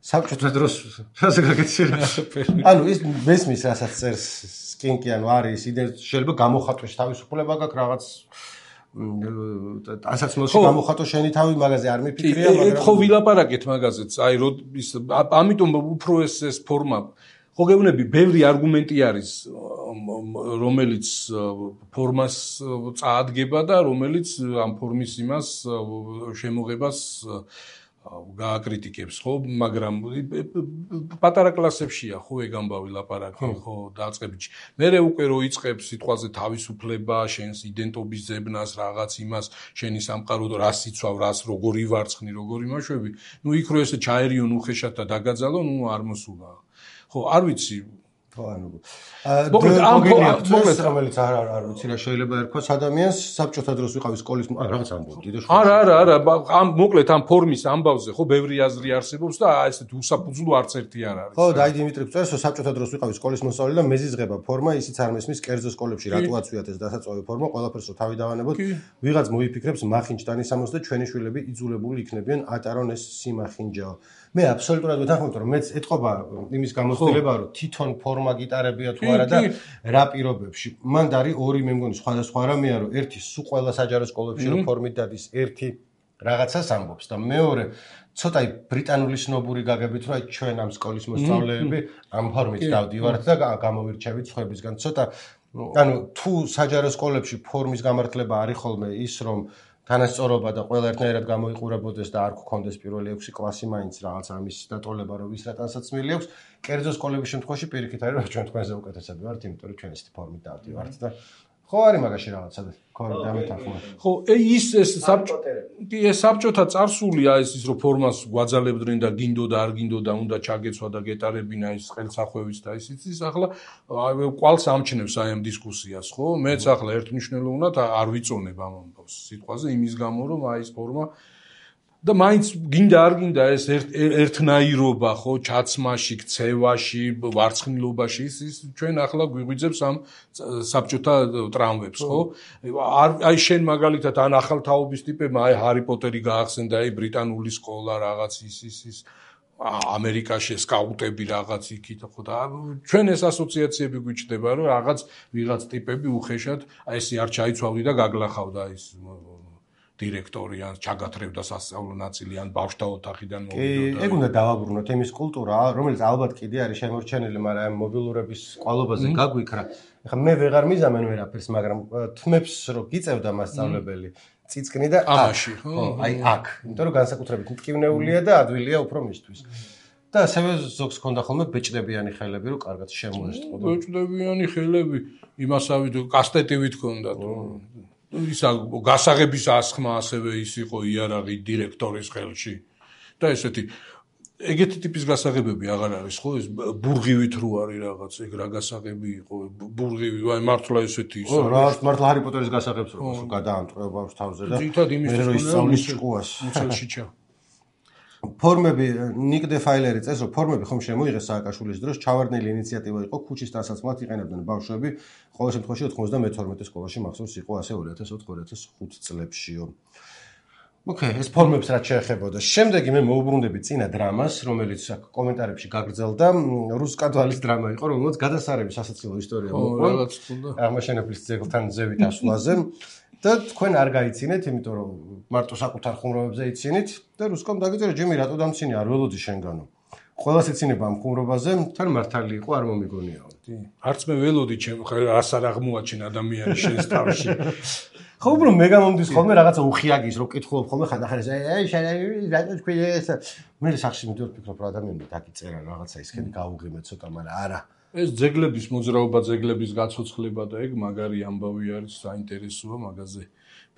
საბჭოთა დროს რაზე გაგეცირა ანუ ის მესმის რასაც წერს სკინკი ანუ არის შეიძლება გამოხატვის თავისუფლება გაქვს რაღაც ასაცმელში გამოხატო შენი თავი მაგაზე არ მიფიქრია მაგრამ ხო ვილაპარაკეთ მაგაზეც აი ამიტომ უფრო ეს ფორმა ხო გეუბნები ბევრი არგუმენტი არის რომელიც ფორმას წაადგება და რომელიც ამ ფორმის იმას შემოღებას გააკრიტიკებს ხო მაგრამ პატარა კლასებშია ხო ეგ ამბავი ლაპარაკი ხო დაწყებითში მერე უკვე რო იწყებს სიტყვაზე თავისუფლება შენს იდენტობის ზებნას რაღაც იმას შენი სამყარო და რას იცვავ რას როგორი ვარცხნი როგორი მაშვები ნუ იქ რო ესე ჩაერიონ უხეშად და დაგაძალო ნუ არ მოსულა ხო არ ვიცი ხო ანუ მოკლედ რომელიც არ ვიცი რა შეიძლება ერქვას ადამიანს საბჭოთა დროს ვიყავი სკოლის რაღაც ამბობდი და არა ამ მოკლედ ამ ფორმის ამბავზე ხო ბევრი აზრი არსებობს და ესეთ უსაფუძვლო არც ერთი არ არის ხო დაი დიმიტრი წერს რომ საბჭოთა დროს ვიყავი სკოლის მოსწავლე და მეზიზღება ფორმა ისიც არ მესმის კერძო სკოლებში რატო აწვიათ ეს დასაწვავი ფორმა ყველაფერს რო თავი დავანებოთ ვიღაც მოიფიქრებს მახინჯდანის ამოს და ჩვენი შვილები იძულებული იქნებიან ატარონ ეს სიმახინჯაო მე აბსოლუტურად ვეთანხმებ რომ მეც ეთყობა იმის გამოცდილება რომ თვითონ ფორმა გიტარებია თუ არა და რა პირობებში მან არის ორი მე მგონი სხვადასხვა რამეა რომ ერთი სულ ყველა საჯარო სკოლებში რომ ფორმით დადის ერთი რაღაცას ამბობს და მეორე ცოტა ბრიტანული სნობური გაგებით რომ აი ჩვენ ამ სკოლის მოსწავლეები ამ ფორმით დავდივართ და გამოვირჩევით სხვებისგან ცოტა ანუ თუ საჯარო სკოლებში ფორმის გამართლება არის ხოლმე ის რომ თანასწორობა და ყველა ერთნაირად გამოიყურებოდეს და არ გქონდეს პირველი 6 კლასი მაინც რაღაც ამის დატოლება რომ ვის რა ტანსაცმელი აქვს კერძო სკოლების შემთხვევაში პირიქით არის რომ ჩვენ თქვენზე უკეთესები ვართ იმიტომ რომ ჩვენ ესეთი ფორმით დავდივართ და ხო არის მაგაში რაღაცა ქორდა მეტახმა. ხო, ის საბჭოთა წარსულია ის რომ ფორმას გვაძალებდნენ და გინდოდა არ გინდოდა უნდა ჩაგეცვა და გეტარებინა ის ხელსახვევიც და ისიც ახლა ყვალს ამჩნევს აი ამ დისკუსიას, ხო? მეც ახლა ერთმნიშვნელოვნად არ ვიწონებ ამ ამბავს სიტყვაზე იმის გამო რომ აი ეს ფორმა და მაინც გინდა არ გინდა ეს ერთნაირობა ხო ჩაცმაში, ქცევაში, ვარცხნილობაში ის ჩვენ ახლა გვიღვიძებს ამ საბჭოთა ტრამვებს ხო? აი შენ მაგალითად ან ახალთაობის ტიპებმა აი ჰარი პოტერი გაახსენდა, აი ბრიტანული სკოლა რაღაც ის ამერიკაში სკაუტები რაღაც იქით ხო და ჩვენ ეს ასოციაციები გვიჩნდება რომ ვიღაც ტიპები უხეშად აი ესე არ ჩაიცვავდი და გაგლახავდა ის დირექტორი ან ჩაგათრევდა სასწავლო ნაწილი ან ბავშვთა ოთახიდან მოვიდოდა. ეგ უნდა დავაბრუნოთ იმის კულტურა, რომელიც ალბათ კიდე არის შემორჩენილი, მაგრამ ამ მობილურების ყვალობაზე გაგვიქრა. ეხლა მე ვეღარ მიზამენ ვერაფერს, მაგრამ თმებს რო გიწევდა მასწავლებელი, წიწკნი და ამაში, ხო? აი აქ, იმიტომ რომ განსაკუთრებით მტკივნეულია და ადვილია უფრო მისთვის. და ასევე ზოგს ქონდა ხოლმე ბეჭდებიანი ხელები, რომ კარგად შემოესწყვოდა. ბეჭდებიანი ხელები, იმასავით კასტეტივით ქონდა თუ ისა გასაღების ასხმა ასევე ის იყო იარაღი დირექტორის ხელში და ესეთი ეგეთი ტიპის გასაღებები აღარ არის ხო ეს ბურღივით რო არის რაღაც ეგ რა გასაღები იყო ბურღივი აი მართლა ესეთი ის რა მართლა ჰარი პოტერის გასაღებს რო გადაამტყრევ ბავშვ თავზე და მე რო ისწავლის ჭკუას მუცელში ჩა ფორმები ნიკ დე ფაილერი წეს რომ ფორმები ხომ შემოიღეს სააკაშვილის დროს ჩავარდნილი ინიციატივა იყო ქუჩის დასაცმლად იყენებდნენ ბავშვები ყოველ შემთხვევაში 92 სკოლაში მახსოვს იყო ასე 2004-2005 წლებშიო ეს ფორმებს რაც შეეხებოდა შემდეგი მე მოუბრუნდები წინა დრამას რომელიც კომენტარებში გაგრძელდა რუსკადვალის დრამა იყო რომელიც გადასარევი სასაცილო ისტორია მოყვა აღმაშენებლის ძეგლთან ზევით ასვლაზე და თქვენ არ გაიცინეთ, იმიტომ რომ მარტო საკუთარ ხუმრობებზე იცინით და რუსკომ დაგიწერა ჯემი რატო დამცინი არ ველოდი შენგანო. ყველას ეცინება ამ ხუმრობაზე, თან მართალი იყო არ მომიგონიაო. არც მე ველოდი ჩემ რას არ აღმოაჩენ ადამიანი შენს თავში. ხო უბრალოდ მე გამომდის ხოლმე რაღაცა უხიაგის რო კითხულობ ხოლმე ხანდახან რატო თქვენ ეს მე სახში მივდივარ ვფიქრობ რომ ადამიანები დაგიწერა რაღაცა ისქენი გაუღიმე ცოტა, მაგრამ არა. ეს ძეგლების მოძრაობა, ძეგლების გაცოცხლება და ეგ მაგარი ამბავი არის, საინტერესოა მაგაზე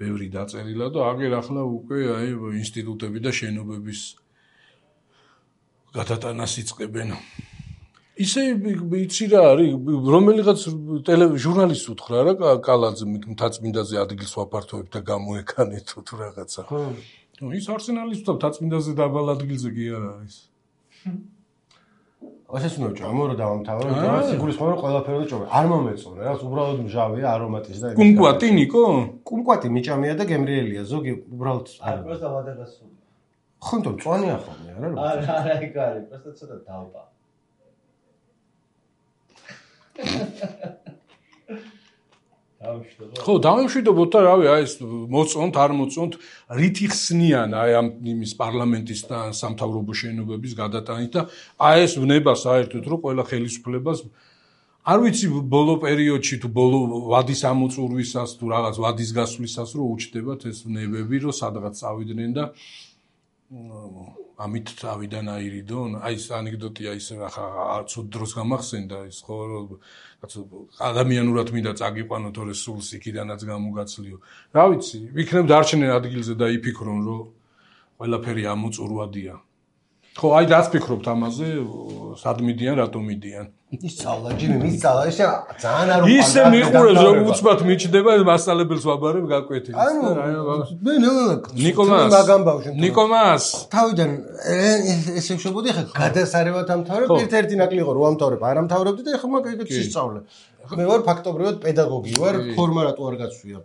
ბევრი დაწერილა და აგერ ახლა უკვე აი ინსტიტუტები და შენობების გადატანას იწყებენ. ისე იცი რა არის, რომელიღაც ჟურნალისტს უთხრა რა კალაძე მთაწმინდაზე ადგილს ვაფართოვებ და გამოეკანეთ თუ რაღაცა. ხო. ის არსენალის მთაწმინდაზე დაბალ ადგილზე კი არ არის. ასეც უნდა ვჭამო რომ დავამთავრო, და სიგურის ხომ რომ ყველაფერი და ჭობე. არ მომეწონა, რაც უბრალოდ მჟავია, არომატის და კუმკვატი ნიკო? კუმკვატი მიჭამია და გემრიელია, ზოგი უბრალოდ არ პროსტა ვადაგასული. ხონდო მწვანეა ხოლმე, არა რომ? არა, ეგ არის, პროსტა ცოტა დავპა. ხო, დავიმშვიდობოთ და რავი, აი ეს მოწონთ, არ მოწონთ, რითი ხსნიან აი ამ იმის პარლამენტის და სამთავრობო შენობების გადატანით და აი ეს ვნება საერთოდ რომ ყველა ხელისუფლებას არ ვიცი ბოლო პერიოდში თუ ბოლო ვადის ამოწურვისას თუ რაღაც ვადის გასვლისას რომ უჩნდებათ ეს ვნებები რომ სადღაც წავიდნენ და ამით წავიდან აირიდონ აი ეს ანეკდოტია ის ახლა ცუდ დროს გამახსენდა ის ხო ადამიანურად მინდა წაგიყვანო თორე სულს იქიდანაც გამოგაცლიო რა ვიცი ვიქნებ დარჩენენ ადგილზე და იფიქრონ რომ ყველაფერი ამოწურვადია ხო აი დაწფიქრობთ ამაზე სად მიდიან რატომ მიდიან ისწავლა ჯიმი მისწავლა ეს ძალიან არ უყვარდა ისე მიყურებს რომ უცბად მიჩნდება მასალებელს ვაბარებ გაკვეთილს მე ნიკომას ნიკომას თავიდან ესე ვშობოდი ხა გადასარევად ამთავრებ ერთ-ერთი ნაკლი იყო რომ ამთავრებ არ ამთავრებდი და ეხლა მაგ ისწავლე მე ვარ ფაქტობრივად პედაგოგი ვარ ფორმა რატო არ გაცვია